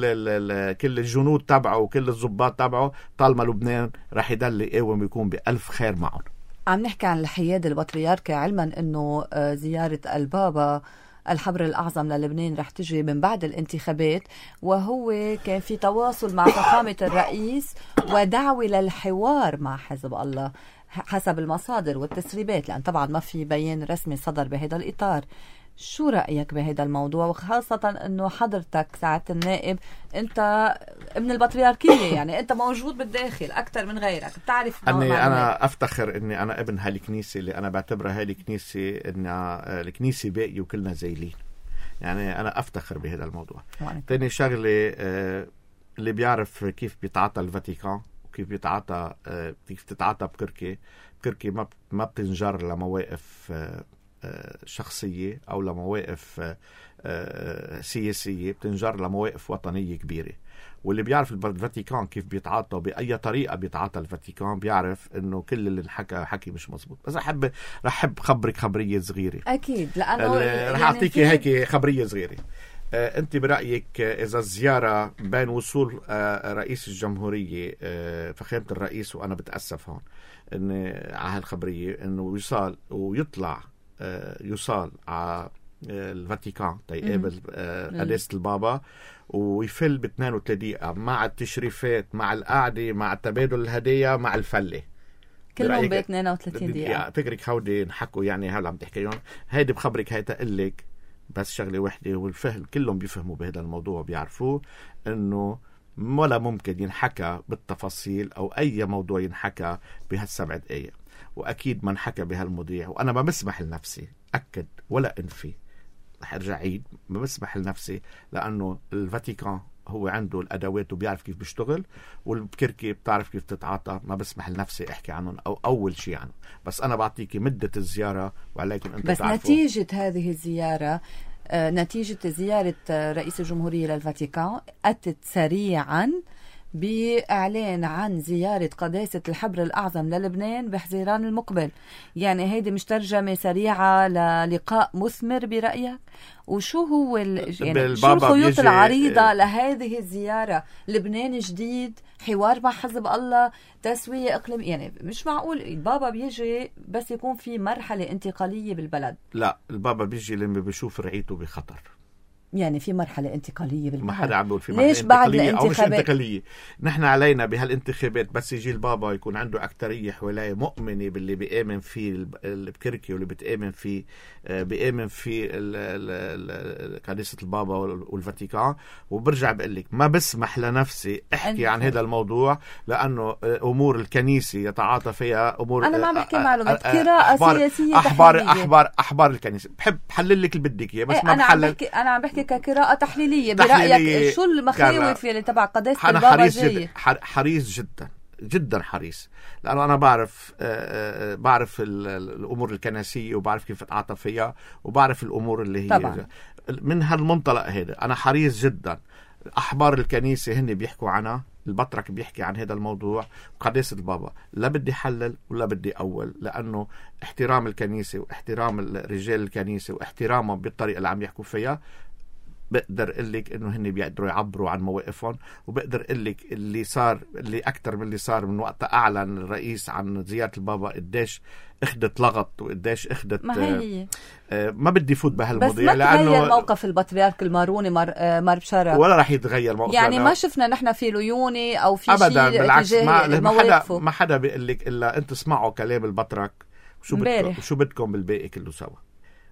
كل الجنود تبعه وكل الضباط تبعه، طالما لبنان رح يضل يقاوم ويكون بألف خير معهم. عم نحكي عن الحياد البطريركي، علما انه زيارة البابا الحبر الأعظم للبنان رح تجي من بعد الانتخابات، وهو كان في تواصل مع فخامة الرئيس ودعوة للحوار مع حزب الله حسب المصادر والتسريبات، لأن طبعا ما في بيان رسمي صدر بهذا الإطار. شو رأيك بهذا الموضوع، وخاصة أنه حضرتك ساعة النائب أنت ابن البطريركية، يعني أنت موجود بالداخل أكثر من غيرك، بتعرف أني أنا أفتخر أني أنا ابن هالكنيسة اللي أنا بعتبرها هالكنيسة أن الكنيسة باقي وكلنا زيلين، يعني أنا أفتخر بهذا الموضوع. تاني شغلة، اللي بيعرف كيف بيتعاطى الفاتيكان وكيف بيتعاطى كيف تتعاطى بكركي، بكركي ما ما بتنجر لمواقف شخصية أو لمواقف سياسية، بتنجر لمواقف وطنية كبيرة. واللي بيعرف الفاتيكان كيف بيتعاطى بأي طريقة بيتعاطى الفاتيكان بيعرف إنه كل اللي انحكى حكي مش مزبوط. بس أحب رح أحب خبرك خبرية صغيرة. أكيد، لأنه رح أعطيكي هيك خبرية صغيرة. أنت برأيك إذا الزيارة بين وصول رئيس الجمهورية فخامة الرئيس، وأنا بتأسف هون إن على هالخبرية إنه يصال ويطلع يوصل على الفاتيكان تيقابل قداسة البابا ويفل ب اثنين وثلاثين دقيقة مع التشريفات مع القعدة مع تبادل الهدايا مع الفلة، كلهم ب اثنين وثلاثين دقيقة. فكرك هودي نحكوا يعني هلا عم تحكيهم، هيدي بخبرك هي تقلك بس شغلة وحدة، والفهم كلهم بيفهموا بهذا الموضوع بيعرفوه إنه ولا ممكن ينحكى بالتفاصيل أو أي موضوع ينحكى بهالسبع دقايق، وأكيد ما انحكى بهالمواضيع. وأنا ما بسمح لنفسي أكد ولا أنفي، رح أرجع عيد، ما بسمح لنفسي، لأنه الفاتيكان هو عنده الأدوات وبيعرف كيف بيشتغل، والكركي بتعرف كيف تتعاطى، ما بسمح لنفسي أحكي عنهم أو أول شيء عنهم. بس أنا بعطيكي مدة الزيارة وعليكم أنت بس تعرفوا. نتيجة هذه الزيارة، نتيجة زيارة رئيس الجمهورية للفاتيكان أتت سريعا بإعلان عن زيارة قداسة الحبر الأعظم للبنان بحزيران المقبل. يعني هيدي مش ترجمة سريعة للقاء مثمر برأيك؟ وشو هو يعني شو الخيوط العريضة لهذه الزيارة؟ لبنان جديد، حوار مع حزب الله، تسوية إقليم، يعني مش معقول البابا بيجي بس يكون في مرحلة انتقالية بالبلد. لا، البابا بيجي لما بيشوف رعيته بخطر، يعني في مرحلة انتقالية بالبلد. ما حدا عم بيقول في مرحلة ليش بعد انتقالية أو مش الانتخابات؟ انتقالية. نحن علينا بهالانتخابات بس يجي البابا يكون عنده أكترية حواليه مؤمنة باللي بيآمن فيه البكركي واللي بتآمن فيه بيآمن فيه قداسة البابا والفاتيكان. وبرجع بقول لك ما بسمح لنفسي احكي عن هذا الموضوع، لأنه أمور الكنيسة يتعاطى فيها أمور. أنا ما عم بحكي معلومات، قراءة سياسية أحبار تحليلية. أحبار أحبار الكنيسة. بحب حلل لك اللي بدك إياه بس ما أنا بحلل. عم بحكي أنا عم بحكي كقراءة تحليلية. برأيك شو المخاوف اللي تبع قداسة أنا البابا حريص جاي؟ جدا حريص جدا جدا حريص، لأنه أنا بعرف بعرف الأمور الكنسية وبعرف كيف أتعاطى فيها وبعرف الأمور اللي هي طبعا. من هالمنطلق هذا أنا حريص جدا. أحبار الكنيسة هن بيحكوا عنها، البطرك بيحكي عن هذا الموضوع، وقداسة البابا لا بدي حلل ولا بدي أول، لأنه احترام الكنيسة واحترام رجال الكنيسة واحترامهم بالطريقة اللي عم يحكوا فيها، بقدر اقول لك انه هن بيقدروا يعبروا عن مواقفهم، وبقدر اقول لك اللي صار اللي اكثر من اللي صار من وقت اعلن الرئيس عن زيارة البابا قديش اخذت لغط وقديش اخذت. ما هي آه ما بدي فوت بهالمواضيع، بس ما تغير موقف البطريرك الماروني مر آه مر بشرة، ولا رح يتغير موقف، يعني ما شفنا نحن في ليوني او في شيء ابدا. بالعكس ما, ما حدا ما حدا بيقول بيقول لك الا انت اسمعوا كلام البطرك شو بدكم شو بدكم بالباقي كله سوا.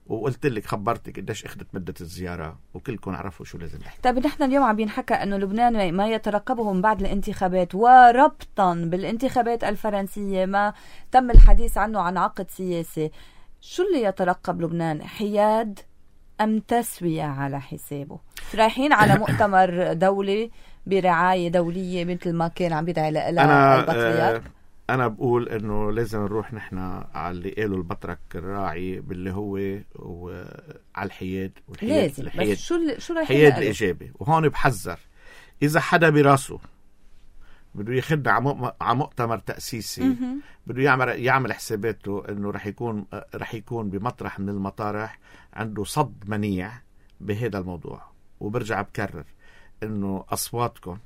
وقلت لك خبرتك قديش اخذت مدة الزيارة وكلكم عرفوا شو لازم نحكي. طيب نحن اليوم عم بينحكى انه لبنان ما يترقبه من بعد الانتخابات وربطا بالانتخابات الفرنسية ما تم الحديث عنه عن عقد سياسي. شو اللي يترقب لبنان؟ حياد ام تسوية على حسابه؟ رايحين على مؤتمر دولي برعاية دولية مثل ما كان عم بيدعي لها البطريرك. أنا بقول إنه لازم نروح نحن على اللي قالوا البطرك الراعي باللي هو وعلى الحياد والحياد لازم. الحياد بس شو شو رايح الحياد الإيجابي. وهون بحذر إذا حدا براسه بده يخد على مؤتمر تأسيسي بده يعمل يعمل حساباته إنه رح يكون رح يكون بمطرح من المطارح عنده صد منيع بهذا الموضوع. وبرجع بكرر إنه أصواتكم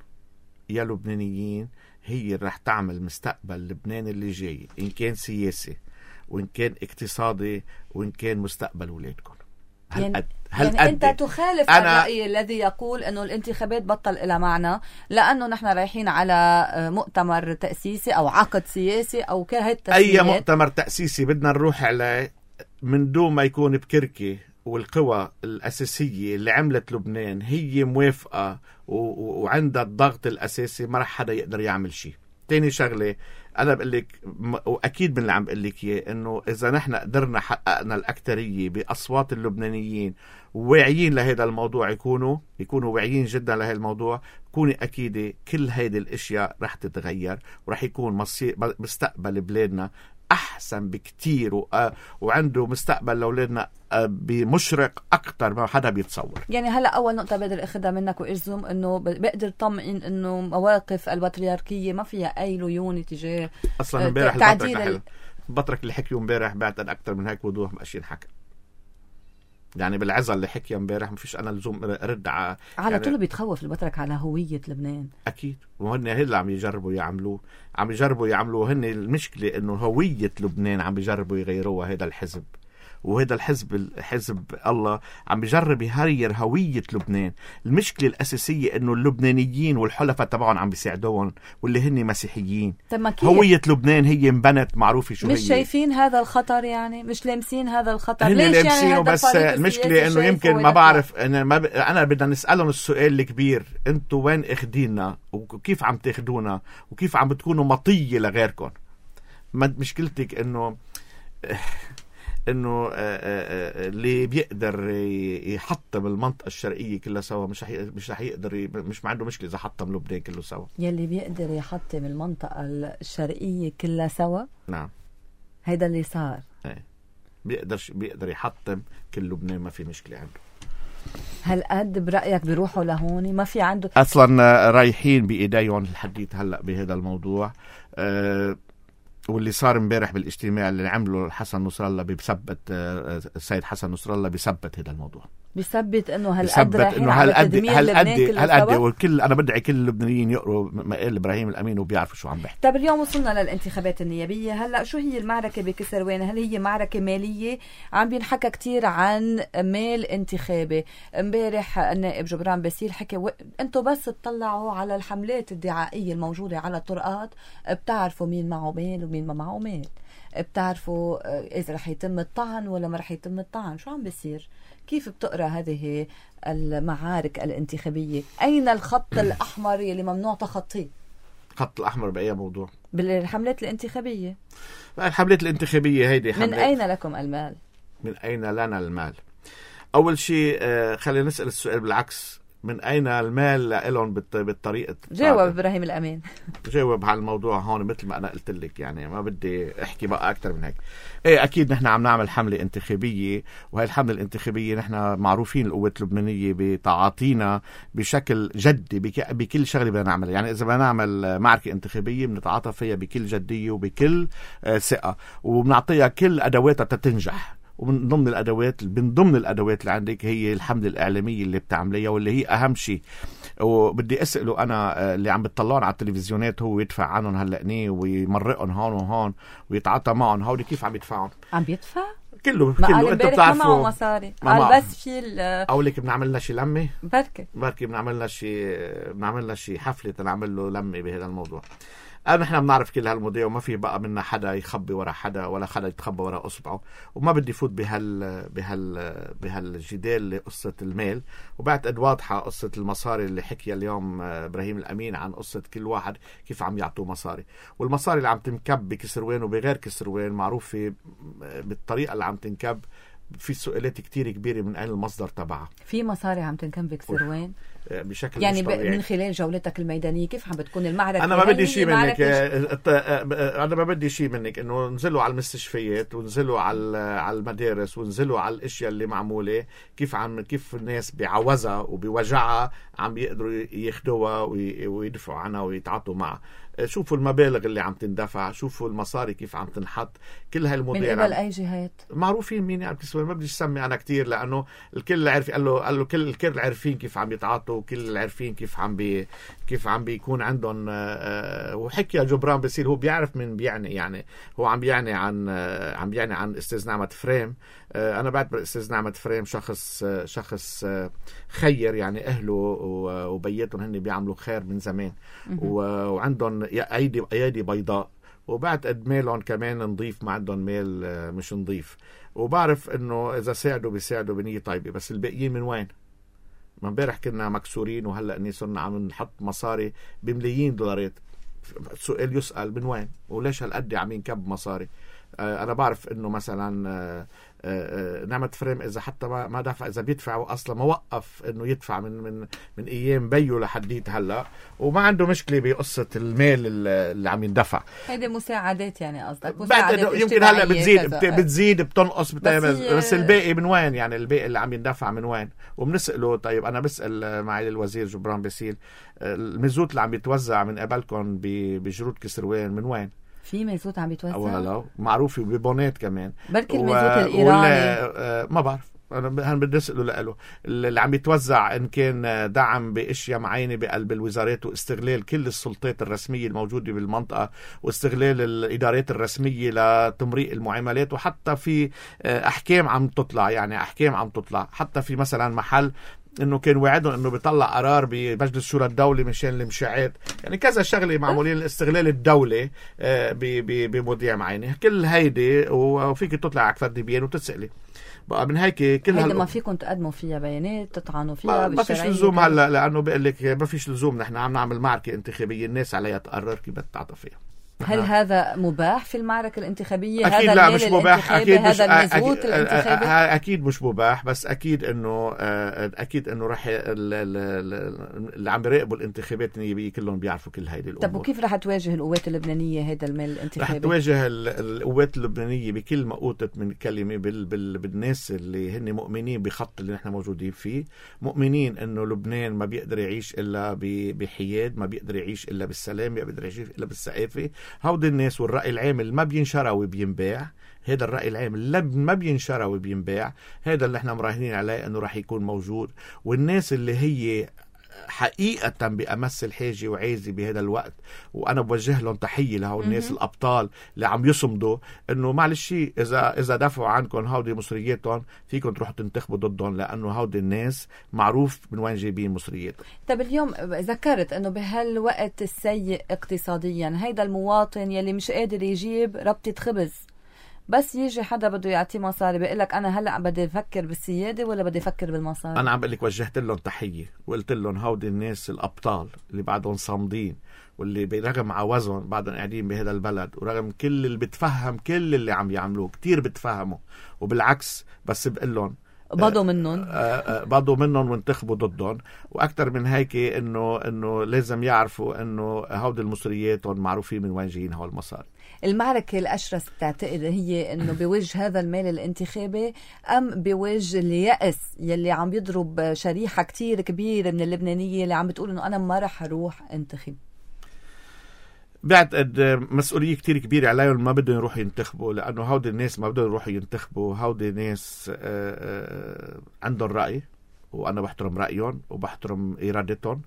يا لبنانيين هي اللي رح تعمل مستقبل لبنان اللي جاي، إن كان سياسي وإن كان اقتصادي وإن كان مستقبل أولادكم. هالقد يعني أنت تخالف الرأي الذي يقول أنه الانتخابات بطل إلى معنى لأنه نحن رايحين على مؤتمر تأسيسي أو عقد سياسي أو كهت أي مؤتمر تأسيسي بدنا نروح عليه من دون ما يكون بكركي والقوى الأساسية اللي عملت لبنان هي موافقة وعندها الضغط الأساسي، ما رح حدا يقدر يعمل شيء. تاني شغلة أنا بقول لك وأكيد من اللي عم بقول لك إياه إنه إذا نحن قدرنا حققنا الأكترية بأصوات اللبنانيين واعيين لهذا الموضوع، يكونوا يكونوا واعيين جدا لهذا الموضوع، كوني أكيدة كل هيدي الأشياء رح تتغير ورح يكون مصير مستقبل بلادنا أحسن بكتير و... وعنده مستقبل لأولادنا بمشرق أكتر ما حدا بيتصور. يعني هلأ أول نقطة بقدر أخذها منك وإجزم إنه بقدر طمئن إنه مواقف البطريركية ما فيها أي ليون تجاه أصلا امبارح تعديل ال... البطرك اللي حكيه امبارح بعتقد أكتر من هيك وضوح ماشي ينحكى. يعني بالعزة اللي حكي امبارح ما فيش أنا لزوم رد على على يعني طول بيتخوف البطرك على هوية لبنان. أكيد وهن هلا عم يجربوا يعملوه عم يجربوا يعملوه هن المشكلة إنه هوية لبنان عم يجربوا يغيروها هذا الحزب، وهذا الحزب حزب الله عم بيجرب يغير هوية لبنان. المشكلة الأساسية إنه اللبنانيين والحلفاء تبعهم عم بيساعدوهم واللي هن مسيحيين. هوية لبنان هي انبنت معروفة شو مش هي. مش شايفين هذا الخطر، يعني مش لامسين هذا الخطر. هن ليش يعني هذا بس المشكلة إنه يمكن ما بعرف أنا ما ب... أنا بدنا نسألهم السؤال الكبير، أنتوا وين أخدينا وكيف عم تاخدونا وكيف عم بتكونوا مطية لغيركم. مشكلتك إنه انه اللي بيقدر يحطم المنطقه الشرقيه كلها سوا مش حي... مش رح يقدر ي... مش ما عنده مشكله اذا حطم لبنان كله سوا. يلي بيقدر يحطم المنطقه الشرقيه كلها سوا، نعم هيدا اللي صار. ايه بيقدر بيقدر يحطم كل لبنان، ما في مشكله عنده. هل قد برايك بيروحوا لهون ما في عنده اصلا رايحين بايديهم الحديث هلا بهذا الموضوع. أه واللي صار امبارح بالاجتماع اللي عمله حسن نصر الله بيثبت السيد حسن نصر الله بيثبت هذا الموضوع، بيثبت انه هالقد رايحين على تدمير لبنان كله. هالقد والكل انا بدعي كل اللبنانيين يقروا مقال ابراهيم الامين وبيعرفوا شو عم بيحكي. طيب اليوم وصلنا للانتخابات النيابيه، هلا شو هي المعركه بكسروان؟ هل هي معركه ماليه؟ عم بينحكى كتير عن مال انتخابي. امبارح النائب جبران باسيل حكي و... انتم بس تطلعوا على الحملات الدعائيه الموجوده على الطرقات بتعرفوا مين معه مال ومين ما معه مال، بتعرفوا اذا رح يتم الطعن ولا ما رح يتم الطعن. شو عم بيصير؟ كيف بتقرأ هذه المعارك الانتخابية؟ أين الخط الأحمر اللي ممنوع تخطيه؟ الخط الأحمر بأي موضوع؟ بالحملات الانتخابية. الحملات الانتخابية هيدي من أين لكم المال؟ من أين لنا المال؟ أول شيء خلينا نسأل السؤال بالعكس، من أين المال لهم بالطريقة؟ جاوب إبراهيم الأمين. جاوب على الموضوع هون مثل ما أنا قلت لك، يعني ما بدي أحكي بقى أكتر من هيك. إيه أكيد نحن عم نعمل حملة انتخابية، وهي الحملة الانتخابية نحن معروفين القوات اللبنانية بتعاطينا بشكل جدي بكل شغلة بدنا نعملها. يعني إذا بدنا نعمل معركة انتخابية بنتعاطى فيها بكل جدية وبكل ثقة، وبنعطيها كل أدواتها تتنجح. ومن ضمن الأدوات من ضمن الأدوات اللي عندك هي الحملة الإعلامية اللي بتعمليها واللي هي أهم شيء. وبدي أسأله أنا اللي عم بتطلعون على التلفزيونات هو يدفع عنهم هلأنيه ويمرقهم هون وهون ويتعاطى معهم، هودي كيف عم يدفعون؟ عم بيدفع؟ كله كله انت بتعرفوا ما معه مصاري قال بس في اقول لك بنعمل لنا شي لمه بركي بركي بنعمل لنا شي بنعمل لنا شي حفله تنعمل له لمه بهذا الموضوع. أنا نحن بنعرف كل هالمواضيع وما في بقى منا حدا يخبي ورا حدا ولا حدا يتخبى ورا اصبعه، وما بدي فوت بهال بهال بهالجدال لقصه المال. وبعتقد واضحه قصه المصاري اللي حكي اليوم ابراهيم الامين عن قصه كل واحد كيف عم يعطوه مصاري، والمصاري اللي عم تنكب بكسروان وبغير كسروان معروفه بالطريقه اللي عم تنكب. في سؤالات كتير كبيرة من أين المصدر تبعها. في مصاري عم تنكب بكسروان بشكل يعني من خلال جولتك الميدانية كيف عم بتكون المعركة؟ أنا ما بدي شيء منك أنا ما بدي شيء منك إنه نزلوا على المستشفيات ونزلوا على على المدارس ونزلوا على الأشياء اللي معمولة كيف عم كيف الناس بعوزها وبوجعها عم يقدروا ياخدوها ويدفعوا عنها ويتعاطوا معها. شوفوا المبالغ اللي عم تندفع، شوفوا المصاري كيف عم تنحط، كل هالمواضيع من قبل أي جهات معروفين مين يعني بكسروان. ما بدي اسمي أنا كتير لأنه الكل عارف، قال له قال له كل الكل عارفين كيف عم يتعاطوا وكل عارفين كيف عم بي كيف عم بيكون عندهم. وحكي جبران باسيل هو بيعرف من بيعني، يعني هو عم بيعني عن عم بيعني عن استاذ نعمة فريم. انا بعتبر استاذ نعمة فريم شخص شخص خير، يعني اهله وبيتهم هن بيعملوا خير من زمان، وعندهم ايدي ايادي بيضاء، وبعد قد ميلهم كمان نظيف، ما عندهم ميل مش نظيف. وبعرف انه اذا ساعدوا بيساعدوا بنية طيبة، بس الباقيين من وين؟ ما امبارح كنا مكسورين، وهلا اني صرنا عم نحط مصاري بملايين دولارات. سؤال يسأل من وين؟ وليش هالقد عم ينكب مصاري؟ آه انا بعرف انه مثلا آه آه نعمة فريم اذا حتى ما ما دفع، اذا بيدفع اصلا ما وقف انه يدفع من من من ايام بيو لحديت هلا، وما عنده مشكله بقصه المال اللي عم يندفع. هيدي مساعدات يعني قصدك؟ مساعدات يمكن هلا بتزيد بتزيد بتنقص بس, بس الباقي من وين؟ يعني الباقي اللي عم يندفع من وين؟ وبنساله. طيب انا بسال معالي الوزير جبران باسيل، المزود اللي عم يتوزع من قبلكم بجرود كسروان من وين؟ في مازوت عم بيتوزع؟ ولا معروف ببونات كمان، بركي المازوت الإيراني ما بعرف، أنا بدي أسأله لقاله اللي عم يتوزع إن كان دعم بأشياء معينة بقلب الوزارات، واستغلال كل السلطات الرسمية الموجودة بالمنطقة، واستغلال الإدارات الرسمية لتمريق المعاملات، وحتى في أحكام عم تطلع، يعني أحكام عم تطلع حتى في مثلا محل انه كان وعدهم انه بيطلع قرار بمجلس شورى الدولة مشان المشاعات، يعني كذا شغله معمولين استغلال الدولة بمواضيع معينه. كل هيدي وفيك تطلع على كفر دبيان وتسألي بقى من هيك كل هيدا ما فيكم تقدموا فيها بيانات تطعنوا فيها؟ ما فيش لزوم هلا، لانه بقول لك ما فيش لزوم، نحن عم نعمل معركه انتخابيه الناس عليها تقرر كيف بتعاطى فيها. هل هذا مباح في المعركة الانتخابية؟ أكيد هذا لا مش مباح، أكيد مش هذا المزبوط أكيد, الانتخابي؟ أكيد مش مباح، بس أكيد إنه أكيد إنه رح اللي عم بيراقبوا الانتخابات النيابية كلهم بيعرفوا كل هيدي الأمور. طب وكيف رح تواجه القوات اللبنانية هذا المال الانتخابي؟ رح تواجه القوات اللبنانية بكل ما أوتت من كلمة بال بال بالناس اللي هن مؤمنين بخط اللي نحن موجودين فيه، مؤمنين إنه لبنان ما بيقدر يعيش إلا بحياد، ما بيقدر يعيش إلا بالسلام، ما بيقدر يعيش إلا بالثقافة. هودي الناس والرأي العام اللي ما بينشرى وبينباع، هذا الرأي العام اللي ما بينشرى وبينباع، هذا اللي احنا مراهنين عليه انه راح يكون موجود. والناس اللي هي حقيقة بأمس الحاجة وعايزة بهذا الوقت، وأنا بوجه لهم تحية لهو الناس الأبطال اللي عم يصمدوا إنه معلش إذا إذا دافعوا عنكم هودي مصرياتهم فيكم تروحوا تنتخبوا ضدهم، لأنه هودي الناس معروف من وين جايبين مصرياتهم. طب اليوم ذكرت إنه بهالوقت السيء اقتصاديا هيدا المواطن يلي مش قادر يجيب ربطة خبز، بس يجي حدا بده يعطيه مصاري بيقول لك انا هلا بدي افكر بالسياده ولا بدي افكر بالمصاري؟ انا عم بقول لك وجهت لهم تحيه وقلت لهم هودي الناس الابطال اللي بعدهم صامدين، واللي برغم عوزهم بعدهم قاعدين بهذا البلد، ورغم كل اللي بتفهم كل اللي عم يعملوه كتير بتفهموا، وبالعكس بس بقول لهم بضوا منهم بضوا منهم وانتخبوا ضدهم. واكثر من هيك انه انه لازم يعرفوا انه هودي المصريات معروفين من وين جايين هول المصاري. المعركة الأشرس تعتقد هي أنه بوجه هذا المال الانتخابي أم بوجه اليأس يلي عم يضرب شريحة كتير كبيرة من اللبنانية اللي عم بتقول أنه أنا ما رح أروح انتخب؟ بعتقد مسؤولية كتير كبيرة عليهم، ما بدهم يروحوا ينتخبوا، لأنه هودي الناس ما بدهم يروحوا ينتخبوا. هودي ناس عندهم رأي، وأنا بحترم رأيهم وبحترم إرادتهم،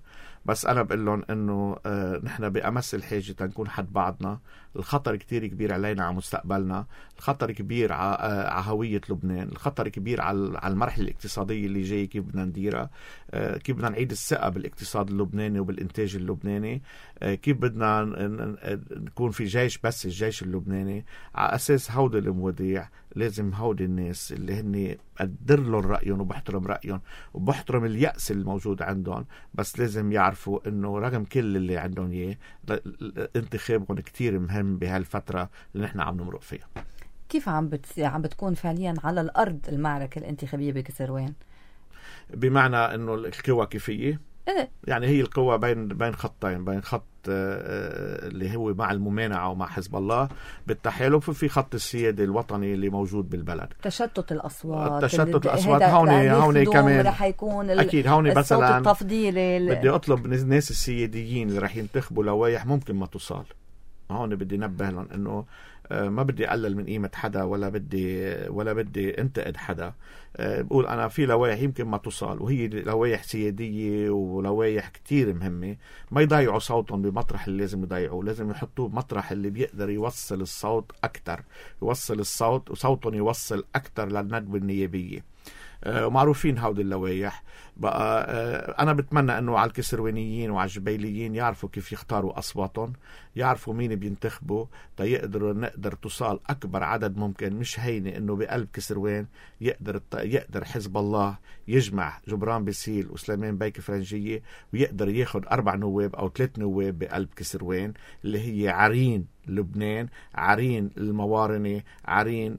بس أنا بقول لهم إنه آه نحن بأمس الحاجة تنكون حد بعضنا. الخطر كتير كبير علينا على مستقبلنا، الخطر كبير على آه هوية لبنان، الخطر كبير على على المرحلة الاقتصادية اللي جاي، كيف بدنا نديرها، آه كيف بدنا نعيد الثقة بالاقتصاد اللبناني وبالإنتاج اللبناني، آه كيف بدنا نكون في جيش بس الجيش اللبناني. على أساس هودي المواضيع لازم هودي الناس اللي هني أقدر لهم رأيهم وبحترم رأيهم وبحترم اليأس الموجود عندهم، بس لازم يعرفوا إنه رغم كل اللي عندهم إياه انتخابهم كتير مهم بهالفترة اللي نحن عم نمرق فيها. كيف عم بت... عم بتكون فعليا على الأرض المعركة الانتخابية بكسروان؟ بمعنى إنه القوى كيفية، إيه؟ يعني هي القوة بين بين خطين، بين خط اللي هو مع الممانعة ومع حزب الله بالتحالف، وفي خط السيادة الوطني اللي موجود بالبلد. تشتت الأصوات، تشتت الأصوات هون هون كمان رح يكون أكيد هون مثلا التفضيلي. بدي أطلب الناس السياديين اللي رح ينتخبوا لوايح ممكن ما تصال. هون بدي نبه لهم إنه ما بدي أقلل من قيمة حدا ولا بدي ولا بدي انتقد حدا. بقول أنا في لوائح يمكن ما تصال، وهي لوائح سيادية ولوائح كتير مهمة، ما يضيعوا صوتهم بمطرح اللي لازم يضيعوه، لازم يحطوه بمطرح اللي بيقدر يوصل الصوت أكتر، يوصل الصوت وصوتهم يوصل أكتر للندوة النيابية. ومعروفين هودي اللوائح بقى. أنا بتمنى أنه على الكسروانيين وعلى الجبيليين يعرفوا كيف يختاروا أصواتهم، يعرفوا مين بينتخبوا، تيقدروا نقدر توصل أكبر عدد ممكن. مش هيني أنه بقلب كسروان يقدر يقدر حزب الله يجمع جبران باسيل وسليمان بيك فرنجية ويقدر ياخد أربع نواب أو ثلاث نواب بقلب كسروان اللي هي عرين لبنان، عرين الموارنة، عرين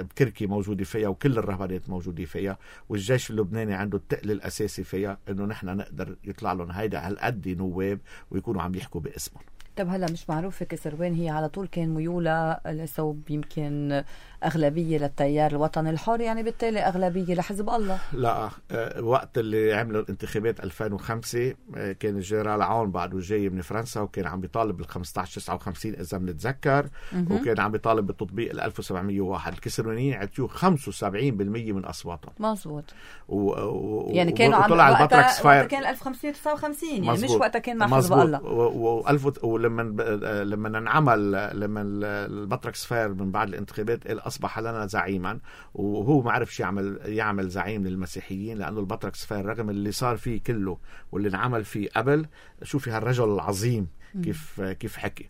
بكركي موجودة فيها وكل الرهبانات موجودة فيها، والجيش اللبناني عنده التقل الأساسي فيها إنه نحن نقدر يطلع لهم هيدا هالقد نواب ويكونوا عم يحكوا باسمهم. طب هلا مش معروف كسروان هي على طول كان ميولة لصوب يمكن أغلبية للتيار الوطني الحر، يعني بالتالي أغلبية لحزب الله؟ لا، وقت اللي عملوا الانتخابات ألفين وخمسة كان الجنرال عون بعده جاي من فرنسا وكان عم بيطالب بالخمسطعش تسعة وخمسين إذا بنتذكر، وكان عم بيطالب بالتطبيق الألف وسبعمية وواحد. الكسروانيين عطيوه خمسة وسبعين بالمية من أصواتهم. مظبوط. و... و... يعني كانوا عم وطلع البطركس فاير كان ألف وخمسمية تسعة وخمسين، يعني مزبوط. مش وقتها كان مع حزب الله. وألف ولما لما انعمل لما البطركس فاير من بعد الانتخابات أصبح لنا زعيما، وهو ما عرفش يعمل يعمل زعيم للمسيحيين لأنه البطركس فاير رغم اللي صار فيه كله واللي انعمل فيه قبل، شوفي هالرجل العظيم كيف كيف حكي.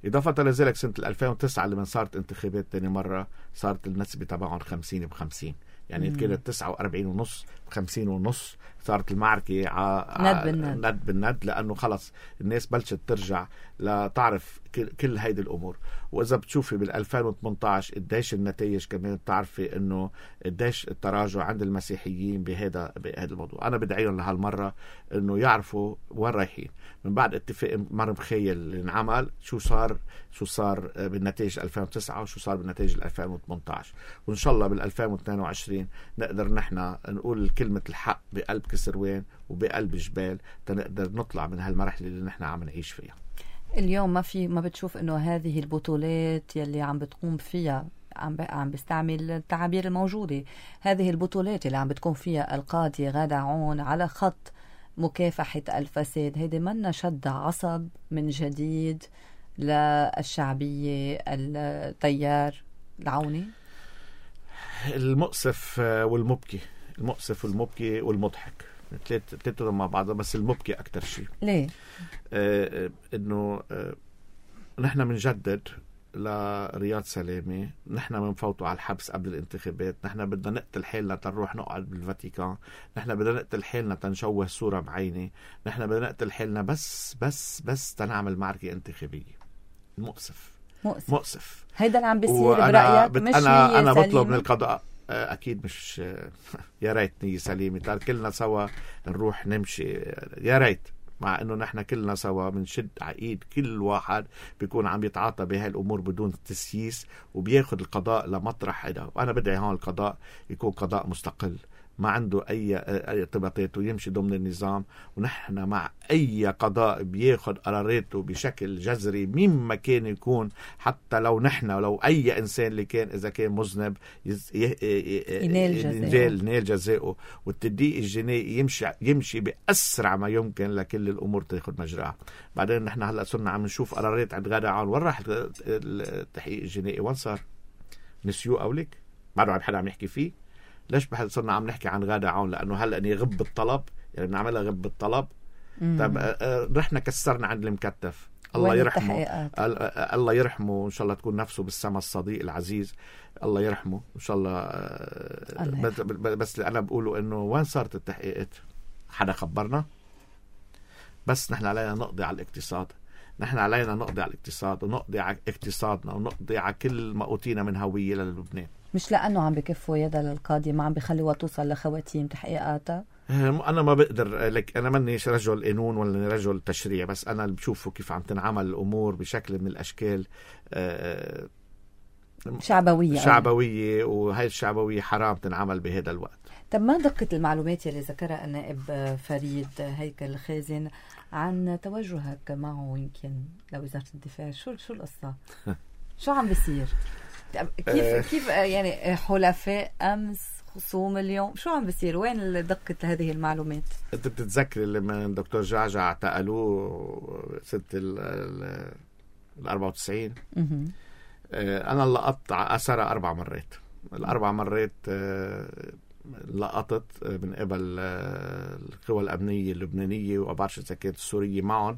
إضافة لذلك سنة ألفين وتسعة لما صارت انتخابات تاني مرة صارت النسبة تبعهم خمسين بخمسين، يعني كانت تسعة وأربعين ونص بخمسين ونص. صارت المعركة ع... ند بالند ند بالند لأنه خلص الناس بلشت ترجع لتعرف كل هيدي الأمور. وإذا بتشوفي بالألفين وثمنتعش قديش النتائج كمان بتعرفي إنه قديش التراجع عند المسيحيين بهذا بهذا الموضوع. أنا بدعيهم لهالمرة إنه يعرفوا وين رايحين. من بعد اتفاق مر مخيل اللي انعمل شو صار شو صار بالنتائج ألفين وتسعة وشو صار بالنتائج ألفين وثمنتعش، وإن شاء الله بالألفين واثنين وعشرين نقدر نحن نقول كلمة الحق بقلب كسروان وبقلب جبال تنقدر نطلع من هالمرحلة اللي نحن عم نعيش فيها. اليوم ما في ما بتشوف انه هذه البطولات يلي عم بتقوم فيها عم عم بيستعمل التعابير الموجودة، هذه البطولات اللي عم بتكون فيها القاضية غادة عون على خط مكافحة الفساد، هيدي منا شد عصب من جديد للشعبية التيار العوني؟ المؤسف والمبكي، المؤسف والمبكي والمضحك ثلاثة مع بعض، بس المبكي أكتر شيء. ليه؟ آه إنه آه نحن منجدد لرياض سلامة، نحن منفوتوا على الحبس قبل الانتخابات، نحن بدنا نقتل حالنا تنروح نقعد بالفاتيكان، نحن بدنا نقتل حالنا تنشوه صورة بعيني، نحن بدنا نقتل حالنا بس بس بس تنعمل معركة انتخابية. مؤسف مؤسف, مؤسف. هيدا اللي عم بيصير برأيك؟ مش أنا أنا بطلب من القضاء أكيد مش يا ريت نية سليمة تار كلنا سوا نروح نمشي، يا ريت، مع إنه نحن كلنا سوا بنشد عقيد كل واحد بيكون عم يتعاطى بهاي الأمور بدون تسييس وبياخد القضاء لمطرح هذا. وأنا بدعي هون القضاء يكون قضاء مستقل ما عنده أي ارتباطات ويمشي ضمن النظام، ونحن مع أي قضاء بياخد قراراته بشكل جذري مما كان يكون، حتى لو نحن ولو أي إنسان اللي كان إذا كان مذنب ينال جزاؤه، والتدقيق الجنائي يمشي يمشي بأسرع ما يمكن لكل الأمور تاخد مجراها. بعدين نحن هلأ صرنا عم نشوف قرارات عند غادة عون، وين راح التحقيق الجنائي؟ وين صار؟ نسيوه أولك؟ ما عم حدا عم يحكي فيه؟ ليش بحد صرنا عم نحكي عن غادة عون؟ لأنه هلأ يغب الطلب، يعني بنعملها غب الطلب. طب رحنا كسرنا عند المكتف، الله يرحمه، الله يرحمه إن شاء الله تكون نفسه بالسما الصديق العزيز، الله يرحمه إن شاء الله. الله بس, بس اللي أنا بقوله إنه وين صارت التحقيقات؟ حدا خبرنا؟ بس نحن علينا نقضي على الاقتصاد، نحن علينا نقضي على الاقتصاد ونقضي على اقتصادنا ونقضي على كل ما أوتينا من هوية للبنان. مش لأنه عم بكفوا يدها للقاضي ما عم بيخلوها توصل لخواتيم تحقيقاتها؟ أنا ما بقدر لك، أنا منيش رجل قانون ولا رجل تشريع، بس أنا اللي بشوفه كيف عم تنعمل الأمور بشكل من الأشكال شعبوية شعبوية وهي الشعبوية حرام تنعمل بهذا الوقت. طب ما دقة المعلومات اللي ذكرها النائب فريد هيكل خازن عن توجهك معه يمكن لوزارة الدفاع؟ شو شو القصة؟ شو عم بيصير؟ كيف كيف يعني حلفاء امس خصوم اليوم، شو عم بيصير؟ وين دقة هذه المعلومات؟ انت بتتذكري لما الدكتور جعجع اعتقلوه سنة ال أربعة وتسعين؟ انا لقطت اثرها اربع مرات. الاربع مرات لقطت من قبل القوى الامنيه اللبنانيه، وما بعرفش اذا كانت السوريه معهم،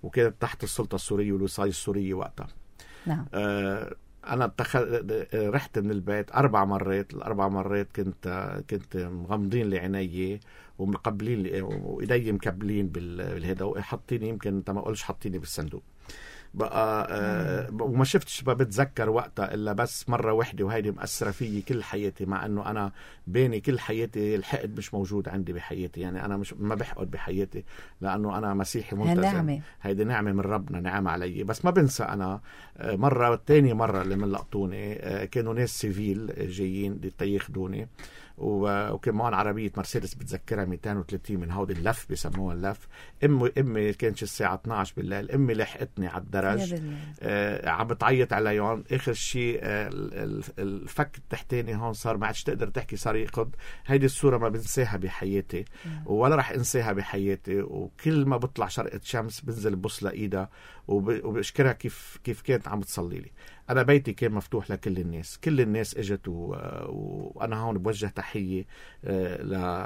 وكانت تحت السلطه السوريه والوصايه السوريه وقتها. نعم. انا اتخذ رحت من البيت اربع مرات. الاربع مرات كنت كنت مغمضين لي عيني ومقبلين لي وايدي مكبلين بالهدا، وحاطيني يمكن انت ما قلش حاطيني بالصندوق بقى. آه وما شفتش، ما بتذكر وقتها الا بس مره واحده، وهيدي مأثره فيي كل حياتي، مع انه انا بيني كل حياتي الحقد مش موجود عندي بحياتي. يعني انا مش ما بحقد بحياتي لانه انا مسيحي ملتزم. نعمة. هيدي نعمه من ربنا، نعم علي. بس ما بنسى انا آه مره تاني مره اللي من لقطوني آه كانوا ناس سيفيل جايين ياخذوني، وكان معهم عربية مرسيدس بتذكرها مئتين وثلاثين من هودي اللف بيسموها اللف. امي امي كانت الساعة اثني عشر بالليل، امي لحقتني على الدرج آه عم بتعيط عليهم. اخر شيء آه الفك التحتاني هون صار ما عادش تقدر تحكي، صار يقض. هيدي الصورة ما بنساها بحياتي ولا رح انساها بحياتي. وكل ما بطلع شرقة شمس بنزل ببص لايدها وبشكرها كيف كيف كانت عم تصلي لي. أنا بيتي كان مفتوح لكل الناس، كل الناس اجت و... وأنا هون بوجه تحية ل...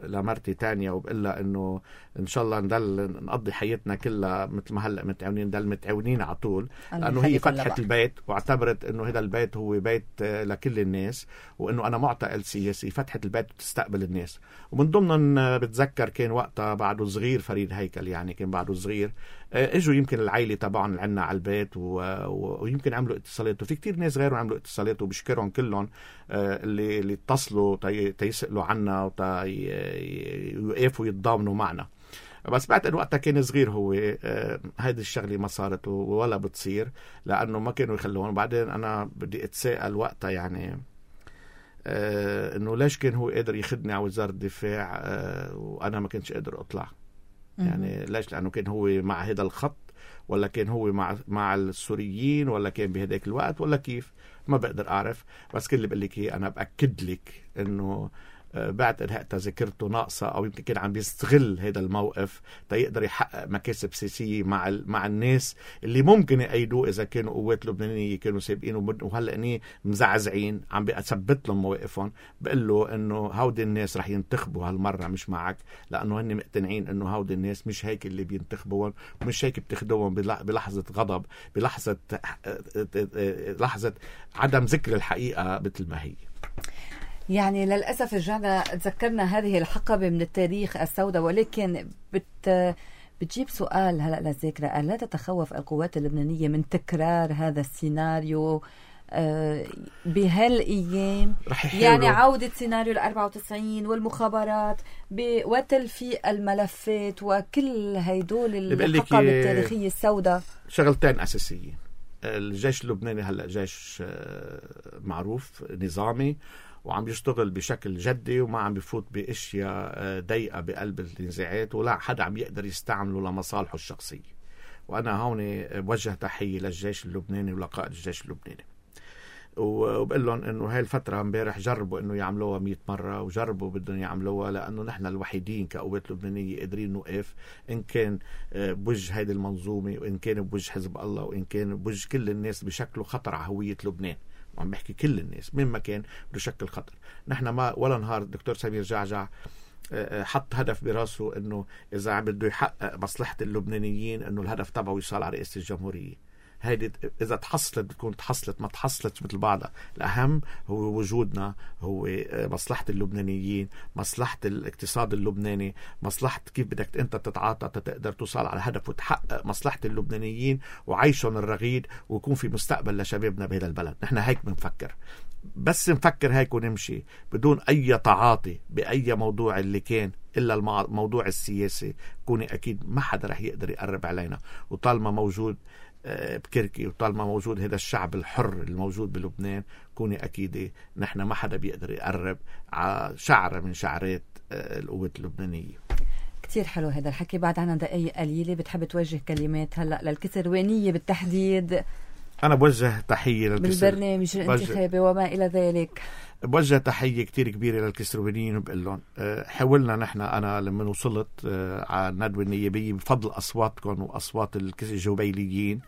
لمرتي تانيا، وبقلها إنه إن شاء الله نضل نقضي حياتنا كلها مثل ما هلأ متعاونين، نضل متعاونين على طول، لأنه هي فتحت البيت واعتبرت إنه هذا البيت هو بيت لكل الناس، وإنه أنا معتقل سياسي. فتحت البيت وتستقبل الناس. ومن ضمن بتذكر كان وقتها بعده صغير فريد هيكل، يعني كان بعده صغير، اجوا يمكن العائله تبعهم اللي عندنا على البيت و... ويمكن عملوا اتصالات، وفي كتير ناس غيرهم عملوا اتصالات، وبشكرهم كلهم اللي اللي اتصلوا تي... تيسألوا عنا ويوقفوا يتضامنوا معنا. بس بعد وقتها كان صغير هو، هيدي الشغله ما صارت ولا بتصير لانه ما كانوا يخلون. بعدين انا بدي اتساءل وقتها يعني آه انه ليش كان هو قادر ياخذني على وزاره الدفاع آه وانا ما كنتش قادر اطلع؟ يعني ليش؟ لأنه كان هو مع هذا الخط، ولا كان هو مع مع السوريين، ولا كان بهداك الوقت، ولا كيف؟ ما بقدر أعرف. بس كل اللي بقول لك أنا بأكد لك إنه بعد انهاء ذاكرته ناقصه، او يمكن كان عم بيستغل هذا الموقف تيقدر يحقق مكاسب سياسيه مع مع الناس اللي ممكن يأيدوه اذا كانوا قوات لبنانيه كانوا سابقين وهلا مزعزعين. عم بثبت لهم مواقفهم، بقول له انه هودي الناس رح ينتخبوا هالمره مش معك، لانه هن مقتنعين انه هودي الناس مش هيك اللي بينتخبوهم، ومش هيك بتاخدوهم بلحظه غضب، بلحظه لحظه عدم ذكر الحقيقه مثل ما هي. يعني للأسف رجعنا تذكرنا هذه الحقبة من التاريخ السوداء، ولكن بت بتجيب سؤال هلأ للذاكرة: ألا تتخوف القوات اللبنانية من تكرار هذا السيناريو بهالأيام؟ يعني عودة سيناريو الأربعة وتسعين والمخابرات وتلفيق الملفات وكل هيدول الحقب التاريخية السوداء. شغلتين أساسية: الجيش اللبناني هلأ جيش معروف نظامي وعم يشتغل بشكل جدي، وما عم بفوت باشياء ضيقه بقلب النزاعات، ولا حدا عم يقدر يستعمله لمصالحه الشخصيه. وانا هون بوجه تحيه للجيش اللبناني ولقائد الجيش اللبناني، وبقول لهم انه هاي الفتره امبارح جربوا انه يعملوها مئة مره، وجربوا بدهم يعملوها، لانه نحن الوحيدين كقوات لبنانيه قادرين نوقف، ان كان بوجه هيدي المنظومه، وان كان بوجه حزب الله، وان كان بوجه كل الناس بشكله خطر على هويه لبنان. وعم بحكي كل الناس من مكان بده شكل خطر. نحن ما ولا نهار الدكتور سمير جعجع حط هدف براسه انه اذا عم بده يحقق مصلحه اللبنانيين انه الهدف تبعه يوصل على رئاسه الجمهوريه. هيدي اذا تحصلت بتكون تحصلت، ما تحصلت مثل بعضها. الاهم هو وجودنا، هو مصلحه اللبنانيين، مصلحه الاقتصاد اللبناني، مصلحه كيف بدك انت تتعاطى تقدر توصل على هدف وتحقق مصلحه اللبنانيين وعيشهم الرغيد، ويكون في مستقبل لشبابنا بهذا البلد. نحن هيك بنفكر، بس نفكر هيك ونمشي بدون اي تعاطي باي موضوع اللي كان الا الموضوع السياسي. كوني اكيد ما حدا رح يقدر يقرب علينا، وطالما موجود بكركي وطالما موجود هذا الشعب الحر الموجود بلبنان، كوني أكيدة نحن ما حدا بيقدر يقرب على شعرة من شعرات القوات اللبنانية. كتير حلو هذا الحكي. بعد عنا دقايق قليلة، بتحب توجه كلمات هلأ للكسروانية بالتحديد أنا بوجه تحية بالبرنامج الانتخابي وما إلى ذلك. بوجه تحية كتير كبيرة للكسروانيين وبقول لهم حاولنا نحن أنا لما وصلت على الندوة النيابية بفضل أصواتكم وأصوات الجوبيليين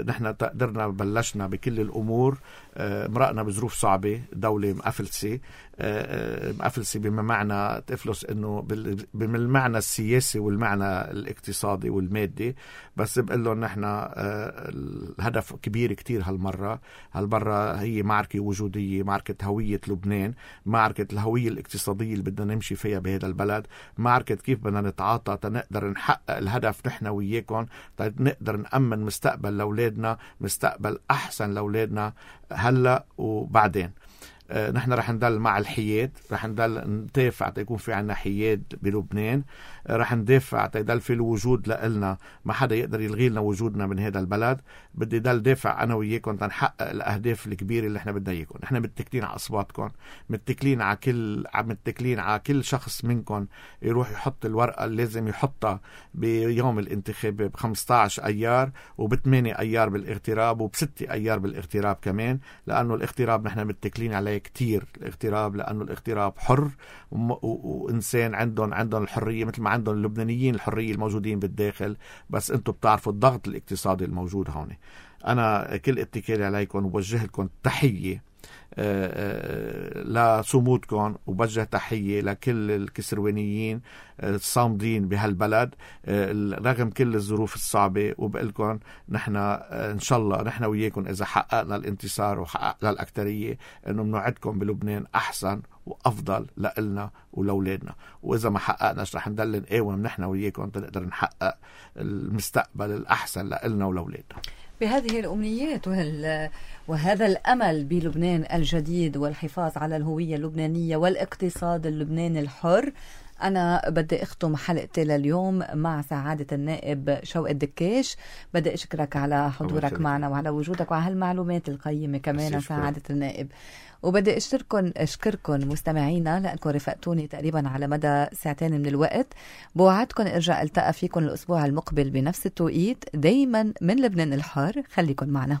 نحن قدرنا بلشنا بكل الأمور. مرقنا بظروف صعبة، دولة مقفلسة مقفلسة بما معنى تفلس إنه بالمعنى السياسي والمعنى الاقتصادي والمادي، بس بقول لهم نحن الهدف كبير كتير هالمرة. هالمرة هي معركة وجودية، معركة هوية لبنان، معركة الهوية الاقتصادية اللي بدنا نمشي فيها بهذا البلد، معركة كيف بدنا نتعاطى تنقدر نحقق الهدف نحن وياكم، نقدر نأمن مستقبل لأولادنا، مستقبل أحسن لأولادنا هلأ وبعدين. آه نحن رح نضل مع الحياد، رح نضل ندافع تيكون في عنا حياد بلبنان، آه رح ندافع تيضل في الوجود لإلنا، ما حدا يقدر يلغي لنا وجودنا من هذا البلد. بدي ضل دافع أنا وياكم تنحقق الأهداف الكبيرة اللي احنا بدنا إياكم. نحن متكلين على أصواتكم، متكلين على كل متكلين على كل شخص منكم يروح يحط الورقة اللي لازم يحطها بيوم الانتخاب بخمسة عشر أيار وبثمانية أيار بالاغتراب وبستة أيار بالاغتراب كمان، لأنه الاغتراب نحن متكلين عليه كتير. الاغتراب لأنه الاغتراب حر وإنسان عندهم عندهم الحرية مثل ما عندهم اللبنانيين الحرية الموجودين بالداخل، بس أنتم بتعرفوا الضغط الاقتصادي الموجود هون. أنا كل اتكالي عليكم وبوجه لكم تحية لصمودكم، وبوجه تحية لكل الكسروانيين الصامدين بهالبلد رغم كل الظروف الصعبة. وبقلكم نحن إن شاء الله نحن وياكم إذا حققنا الانتصار وحققنا الأكترية إنه بنوعدكم بلبنان أحسن وأفضل لإلنا ولأولادنا، وإذا ما حققناش رح نضل نقاوم نحن وياكم تنقدر نحقق المستقبل الأحسن لإلنا ولأولادنا. بهذه الأمنيات وهذا الأمل بلبنان الجديد والحفاظ على الهوية اللبنانية والاقتصاد اللبناني الحر، أنا بدي أختم حلقتي لليوم مع سعادة النائب شوقي الدكاش. بدي أشكرك على حضورك معنا وعلى وجودك وعلى هالمعلومات القيمة كمان سعادة النائب. وبدي أشكركم أشكركم مستمعينا لأنكم رفقتوني تقريبا على مدى ساعتين من الوقت. بوعدكم إرجع ألتقى فيكم الأسبوع المقبل بنفس التوقيت، دايما من لبنان الحار. خليكم معنا.